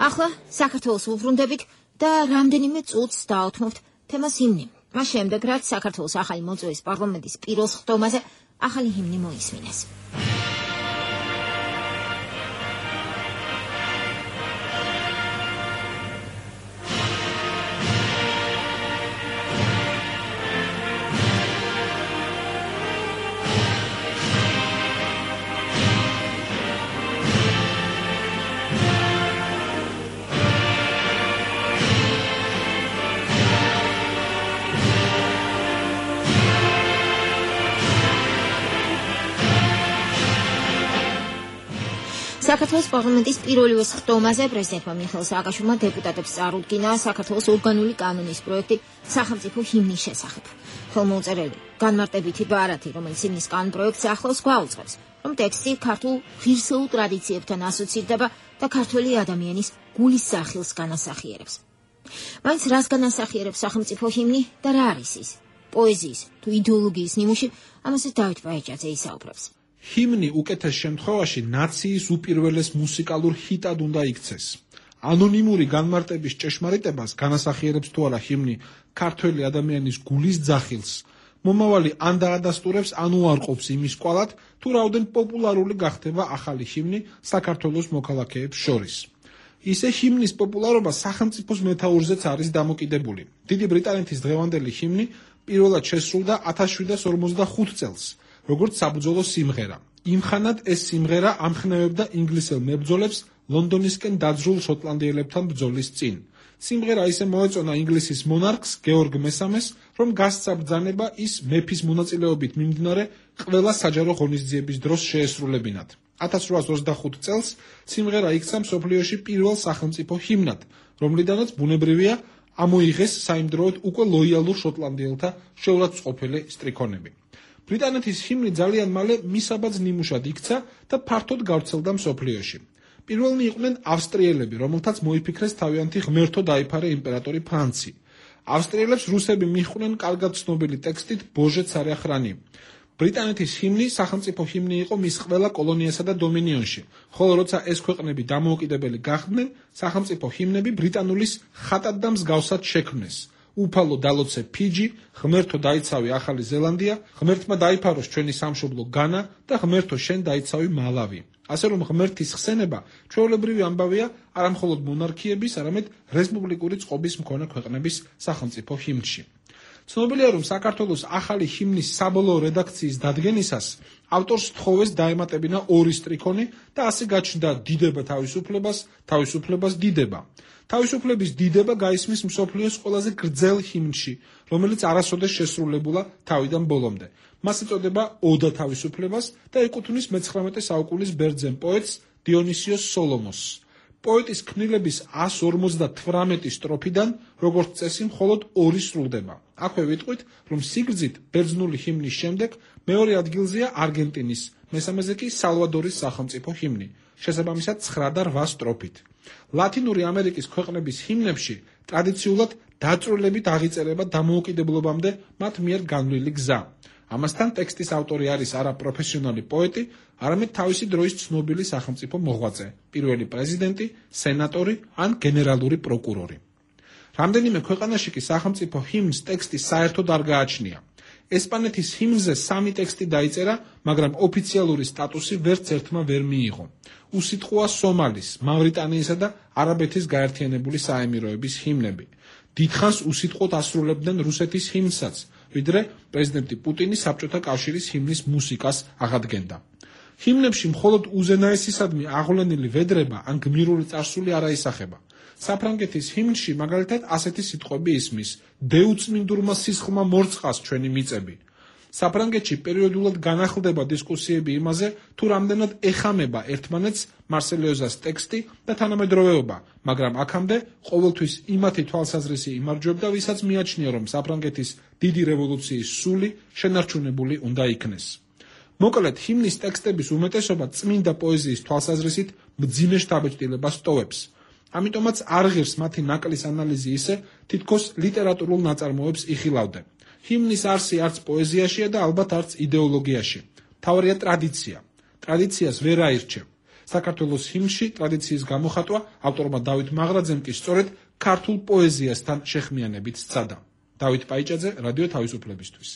[SPEAKER 1] ახლა საქართველოს უბრუნდებით და რამდენიმე წუთს დაუთმობთ თემას ჰიმნი. მას შემდეგ, რაც საქართველოს ახალი მოწვევის პარლამენტის პიროს ხდომაზე ახალი ჰიმნი მოისმინეს. საქართველოს პარლამენტის პირველ სხდომაზე პრეზიდენტმა მიხეილ სააკაშვილმა დეპუტატებს წარუდგინა საქართველოს ორგანული კანონის პროექტი სახელმწიფო ჰიმნის შესახებ. ხელმოუწერელი განმარტებითი ბარათი, რომელიც ჰიმნის კანონპროექტს ახლავს, გვაუწყებს, რომ ტექსტი ქართულ ღირსეულ ტრადიციებთან ასოცირდება და ქართველი ადამიანის გულის სახილს განასახიერებს. მაინც რას განასახიერებს სახელმწიფო ჰიმნი და რა არის ის? პოეზიის თუ იდეოლოგიის ნიმუში, ამაზე დავით ბაიჭაძე ისაუბრებს.
[SPEAKER 12] ჰიმნი უკეთეს შემთხვევაში ნაციის უპირველეს მუსიკალურ ჰიტად უნდა იქცეს. ანონიმური განმარტების ჭეშმარიტებას განასახიერებს თუ არა ჰიმნი ქართველი ადამიანის გულის ძახილს, მომავალი ან დაადასტურებს, ან უარყოფს იმის კვალად, თუ რაოდენ პოპულარული გახდება ახალი ჰიმნი საქართველოს მოქალაქეებს შორის. ისე ჰიმნის პოპულარობა სახელმწიფოს მეთაურზეც არის დამოკიდებული. დიდი ბრიტანეთის დღევანდელი ჰიმნი პირველად შესრულდა 1755 წელს, როგორც საბრძოლო სიმღერა. იმხანად ეს სიმღერა ამხნევებდა ინგლისელ მებრძოლებს ლონდონისკენ დაძრულ შოტლანდიელებთან ბრძოლის წინ. სიმღერა ისე მოეწონა ინგლისის მონარქს გეორგ მესამეს, რომ გასცა ბრძანება ის მეფის მონაწილეობით მიმდინარე ყველა საჯარო ღონისძიების დროს შეესრულებინათ. 1825 წელს სიმღერა იქცა მსოფლიოში პირველ სახელმწიფო ჰიმნად, რომლიდანაც ბუნებრივია ამოიღეს საიმდროოდ უკვე ლოიალურ შოტლანდიელთა შეურაცხმყოფელი სტრიქონები. ბრიტანეთის ჰიმნი ძალიან მალე მისაბაძ ნიმუშად იქცა და ფართოდ გავრცელდა მსოფლიოში. პირველნი იყვნენ ავსტრიელები, რომელთაც მოიფიქრეს თავიანთი ღმერთო დაიფარე იმპერატორი ფრანცი. ავსტრიელებს რუსები მიჰყვნენ კარგად ცნობილი ტექსტით ბოჟე ცარя храни. ბრიტანეთის ჰიმნი სახელმწიფო ჰიმნი იყო მის ყველა კოლონიასა და დომინიონში, ხოლო როცა ეს ქვეყნები დამოუკიდებელი გახდნენ, სახელმწიფო ჰიმნები ბრიტანულის ხატად და მსგავსად შექმნეს. უფალო დალოცე ფიჯი, ღმერთო დაიცავი ახალი ზელანდია, ღმერთმა დაიფაროს ჩვენი სამშობლო განა და ღმერთო შენ დაიცავი მალავი. ასე რომ ღმერთის ხსენება ჩვეულებრივი ამბავია არამხოლოდ მონარქიების, არამედ რესპუბლიკური წყობის მქონე ქვეყნების სახელმწიფო ჰიმნში. ცნობილია, რომ საქართველოს ახალი ჰიმნის საბოლოო რედაქციის დადგენისას ავტორს თხოვეს დაემატებინა ორი სტრიქონი და ასე გაჩნდა დიდება თავისუფლებას დიდება. თავისუფლების დიდება გაისმის მსოფლიოს ყველაზე გრძელ ჰიმნში, რომელიც არასოდეს შესრულებულა თავიდან ბოლომდე. მას ეწოდება ოდა თავისუფლებას და ეკუთვნის მე-19 საუკუნის ბერძენ პოეტს დიონისიოს სოლომოსს. პოეტის ქმნილების 158 სტროფიდან, როგორც წესი, მხოლოდ 2 სრულდება. აქვე ვიტყვით, რომ სიგრძით ბერძნული ჰიმნის შემდეგ მეორე ადგილზეა არგენტინის, მესამეზე კი სალვადორის სახელმწიფო ჰიმნი, შესაბამისად 9 და 8 სტროფით. ლათინური ამერიკის ქვეყნების ჰიმნებში ტრადიციულად დაწვრილებით აღიწერება დამოუკიდებლობამდე მათ მიერ განვლილი გზა. ამასთან ტექსტის ავტორი არის არა პროფესიონალი პოეტი, არამედ თავისი დროის ცნობილი სახელმწიფო მოღვაწე, პირველი პრეზიდენტი, სენატორი ან გენერალური პროკურორი. რამდენიმე ქვეყანაში კი სახელმწიფო ჰიმნს ტექსტი საერთოდ არ გააჩნია. ესპანეთის ჰიმნზე 3 ტექსტი დაიწერა, მაგრამ ოფიციალური სტატუსი ვერც ერთმა ვერ მიიღო. უსიტყვოა სომალის, მავრიტანიისა და არაბეთის გაერთიანებული საემიროების ჰიმნები. დიდხანს უსიტყვოდ ასრულებდნენ რუსეთის ჰიმნსაც, ვიდრე პრეზიდენტი პუტინი საბჭოთა კავშირის ჰიმნის მუსიკას აღადგენდა. ჰიმნებში მხოლოდ უზენაესისადმი აღვლენილი ვედრება ან გმირული წარსული არ აისახება. საფრანგეთის ჰიმნში მაგალითად ასეთი სიტყვები ისმის: დეუწმინდურმა სისხლმა მორწყას ჩვენი მიწები. საფრანგეთში პერიოდულად განახლდება დისკუსიები იმაზე, თუ რამდენად ეხამება ერთმანეთს მარსელიოზას ტექსტი და თანამედროვეობა, მაგრამ აქამდე ყოველთვის იმათი თვალსაზრისი იმარჯვებდა, ვისაც მიაჩნია, რომ საფრანგეთის დიდი რევოლუციის სული შენარჩუნებული უნდა იქნეს. მოკლედ, ჰიმნის ტექსტების უმეტესობა წმინდა პოეზიის თვალსაზრისით მძიმე შთაბეჭდილებას ტოვებს. ამიტომაც არ ღირს მათი ნაკლის ანალიზი ისე, თითქოს ლიტერატურულ ნაწარმოებს იხილავდა. ჰიმნის არსი არც პოეზიაშია და ალბათ არც იდეოლოგიაში. მთავარია ტრადიცია. ტრადიციას ვერ აირჩევ. საქართველოს ჰიმნში ტრადიციის გამოხატვა ავტორმა დავით მაღრაძემ კი სწორედ ქართულ პოეზიასთან შეხმიანებით სცადა. დავით პაიჭაძე, რადიო თავისუფლებისთვის.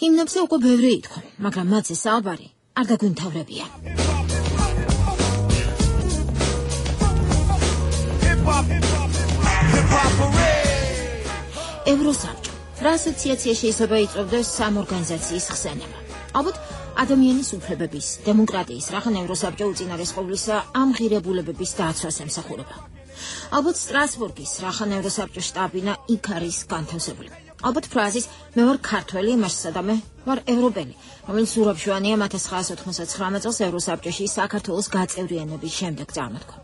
[SPEAKER 1] ჰიმნებზე უკვე ბევრი ითქვა, მაგრამ მათზე საუბარი არ გაგვიმთავრებია. ევროსაბჭო რა ასოციაცია შეიძლება იწვევდეს სამ ორგანიზაციის ხსენება? ალბათ ადამიანის უფლებების, დემოკრატიის, რახან ევროსაბჭო უწინარესყოვლისა ამ ღირებულებების დაცვას ემსახურება. ალბათ სტრასბურგის, რახან ევროსაბჭოს შტაბინა იქ არის განთავსებული. ალბათ ფრაზის მე ვარ ქართველი, იმაშსა და მე ვარ ევროპელი, რომელიც ურაბშვანია 1999 წელს ევროსაბჭოში საქართველოს გაწევრიანების შემდეგ წარმოთქვა.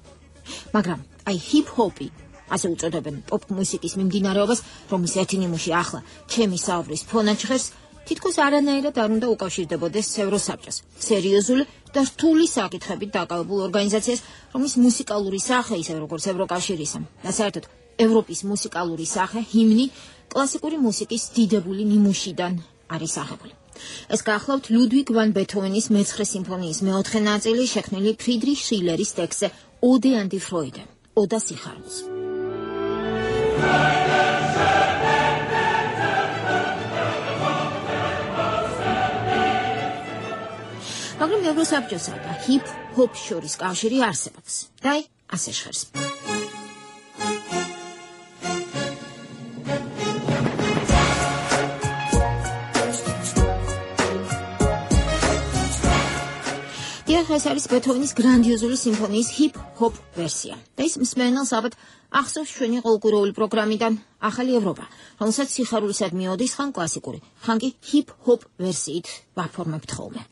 [SPEAKER 1] მაგრამ აი ჰიპ-ჰოპი, ასე უწოდებენ პოპ მუსიკის მიმდინარეობას, რომლის ერთი ნიმუში ახლა ჩემი საუბრის ფონად ჟღერს, თითქოს არანაირად არ უნდა უკავშირდებოდეს ევროსაბჭოს, სერიოზული და რთული საკითხებით დაკავებულ ორგანიზაციას, რომლის მუსიკალური სახე ისე როგორც ევროკავშირისა და საერთოდ ევროპის მუსიკალური სახე, ჰიმნი, კლასიკური მუსიკის დიდებული ნიმუშიდან არის აღებული. ეს გახლავთ ლუდვიგ ვან ბეთჰოვენის მე-9 სიმფონიის მე-4 ნაწილი, შექმნილი ფრიდრიხ შილერის ტექსტზე ოდე an die Freude, ოდა სიხარულს. მაგრამ ევროსაბჭოსა და ჰიპ-ჰოპ შორის კავშირი არსებობს. და აი, ასე ჟღერს. ეს არის ბეთჰოვენის გრანდიოზული სიმფონიის ჰიპ-ჰოპ ვერსია. და ის მსმენელს ალბათ ახსოვს ჩვენი ყოველკვირეული პროგრამიდან ახალი ევროპა, რომელსაც სიხარულისადმი ოდის ხან კლასიკური, ხან კი ჰიპ-ჰოპ ვერსიით ვაფორმებთ ხოლმე.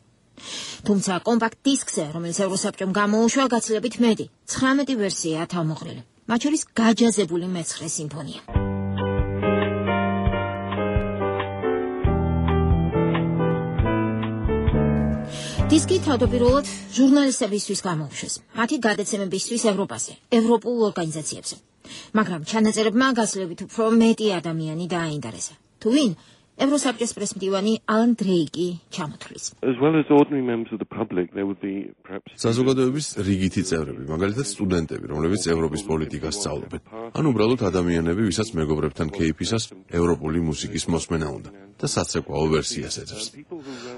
[SPEAKER 1] თუმცა კომპაქტ დისკზე, რომელიც ევროსაბჭომ გამოუშვა, გაცილებით მეტი, 19 ვერსიაა თავმოყრილი. მათ შორის გაჯაზებული მე-9 სიმფონია. დისკი თავდაპირველად ჟურნალისტებისთვის გამოუშვეს, მათი გადაცემებისთვის ევროპაზე, ევროპულ ორგანიზაციებზე. მაგრამ ჩანაწერებმა გაცილებით უფრო მეტი ადამიანი დააინტერესა. თუ ვინ? ევროსაბჭოს პრესმდივანი ალან დრეიკი ჩამოთვლის.
[SPEAKER 4] საზოგადოების რიგითი წევრები, მაგალითად სტუდენტები, რომლებიც ევროპის პოლიტიკას სწავლობენ, ან უბრალოდ ადამიანები, ვისაც მეგობრებთან კეიფისას ევროპული მუსიკის მოსმენა უნდა და საცეკვაო ვერსიას ეძებს.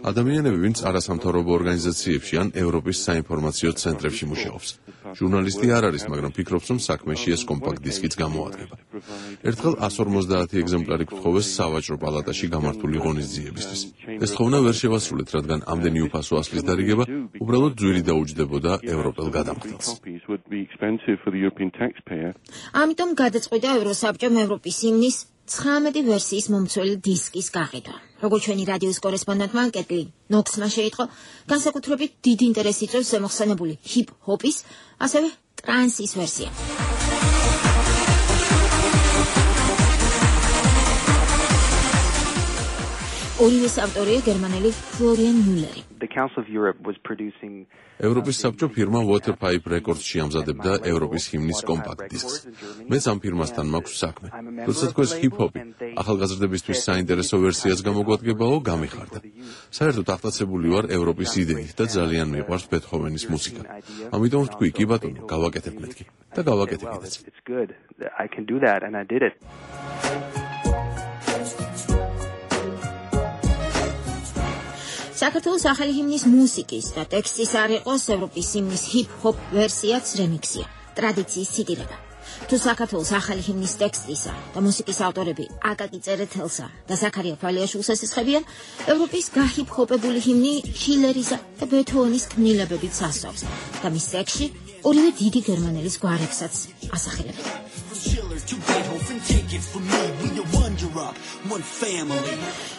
[SPEAKER 4] ადამიანები, ვინც არასამთავრობო ორგანიზაციებში ან ევროპის საინფორმაციო ცენტრებში მუშაობს. ჟურნალისტი არ არის, მაგრამ ფიქრობს, რომ საქმეში ეს კომპაქტ დისკიც გამოადგება. ერთხელ 150 ეგზემპლარი გთხოვეს სავაჭრო პალატაში გამართული ღონისძიებისთვის. ეს თხოვნა ვერ შევასრულეთ, რადგან ამდენი უფასო ასლის დარიგება უბრალოდ ძვირი დაუჯდებოდა ევროპელ გადამხდელს.
[SPEAKER 1] ამიტომ გადაწყვიტა ევროსაბჭომ ევროპის ჰიმნის 19 ვერსიის მომცველი დისკის გაყიდვა. როგორც ჩვენი რადიოს კორესპონდენტმა კეტლი ნოქსმა შეიტყო, განსაკუთრებით დიდ ინტერესს იწვევს ზემოხსენებული ჰიპ-ჰოპის, ასევე ტრანსის ვერსია. ორივეს ავტორია გერმანელი ფლორიან მიულერი.
[SPEAKER 4] ევროპის საბჭო ფირმა Waterpipe Records-ში ამზადებდა ევროპის ჰიმნის კომპაქტ დისკს. მეც ამ ფირმასთან მაქვს საქმე. როცა თქვენს ჰიპ-ჰოპი ახალგაზრდებისთვის საინტერესო ვერსიას გამოგვადგებაო, გამიხარდა. საერთოდ აღტაცებული ვარ ევროპის იდეით და ძალიან მიყვარს ბეთჰოვენის მუსიკა. ამიტომ ვთქვი, კი ბატონო, გავაკეთებ მეთქი და გავაკეთე კიდეც.
[SPEAKER 1] საქართველოს ახალი ჰიმნის მუსიკის და ტექსტის არ იყოს ევროპის ჰიმნის ჰიპ-ჰოპ ვერსიაც რემიქსია, ტრადიციის ციტირება. თუ საქართველოს ახალი ჰიმნის ტექსტისა და მუსიკის ავტორები აკაკი წერეთელსა და ზაქარია ფალიაშვილს ესხებიან, ევროპის გაჰიპ-ჰოპებული ჰიმნი შილერისა და ბეთჰოვენის ქმნილებებით სასწავს და მის ტექსტში ორივე დიდი გერმანელის გვარებსაც ასახელებენ.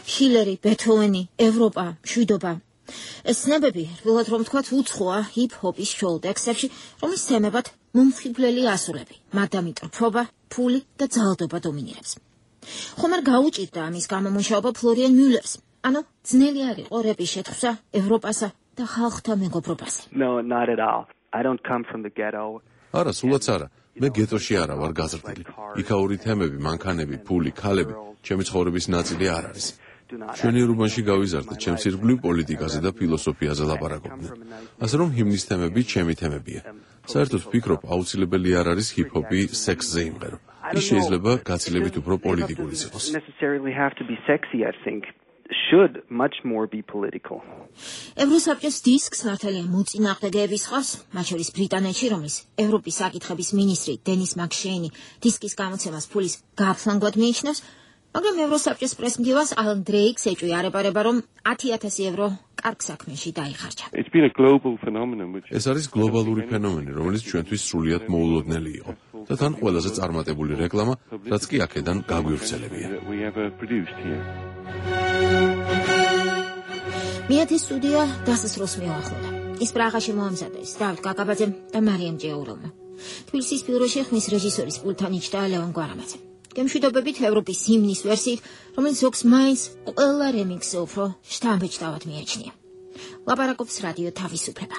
[SPEAKER 1] შილერი, ბეთჰოვენი, ევროპა, მშვიდობა. ეს ცნებები, რბილად რომ ვთქვათ, უცხოა ჰიპ-ჰოპის შოუ ტექსტებში, რომლის თემებად მომხიბვლელი ასულები, მადამიტრფობა, ფული და ძალადობა დომინირებს. ხომ არ გაუჭირდა ამის გამომუშავება ფლორიან მიულერს? ანუ ძნელი არ იყო რეპის შეთხსვა ევროპასა და ხალხთა მეგობრობაზე.
[SPEAKER 4] არა, სულაც არა. მე გეტოში არა ვარ გაზრდილი. იქაური თემები, მანქანები, ფული, ქალები, ჩემი ცხოვრების ნაწილი არ არის. მშვენიერებაში გავიზარდე, ჩემს ირგვლივ პოლიტიკაზე და ფილოსოფიაზე ლაპარაკობდნენ. ასე რომ ჰიმნის თემები ჩემი თემებია. საერთოდ ვფიქრობ, აუცილებელი არ არის ჰიპ-ჰოპი სექსზე იმღერო. ის შეიძლება გაცილებით უფრო პოლიტიკურიც იყოს.
[SPEAKER 13] should much more be political.
[SPEAKER 1] ევროსაბჭოს დისკს მართალია მოწინააღმდეგეების ხავს, მათ შორის ბრიტანეთში, რომლის ევროპის საკითხების მინისტრი დენის მაკშეინი დისკის გამოცემას ფულის გაფლანგად მიიჩნევს, მაგრამ ევროსაბჭოს პრესმდივანს ალან დრეიკს ეჭვიარება, რომ 10,000 ევრო კარგ საქმეში დაიხარჯა.
[SPEAKER 4] ეს არის გლობალური ფენომენი, რომელიც ჩვენთვის სრულიად მოულოდნელი იყო. და თან ყველაზე წარმატებული რეკლამა, რაც კი აქედან გაგვივრცელებია.
[SPEAKER 1] მეათე სტუდია დასასრულს მიუახლოვდა. ის პრაღაში მოამზადეს დავით კაკაბაძემ და მარიამ ჭეურავმა. თბილისის ბიუროში ხმის რეჟისორის პულტთან იჯდა ლევან გვარამაძე. გემშვიდობებით ევროპის ჰიმნის ვერსიით, რომელიც ზოგს მაინც ყველა რემიქსზე უფრო შთამბეჭდავად მიაჩნია. ლაპარაკობს რადიო თავისუფლება.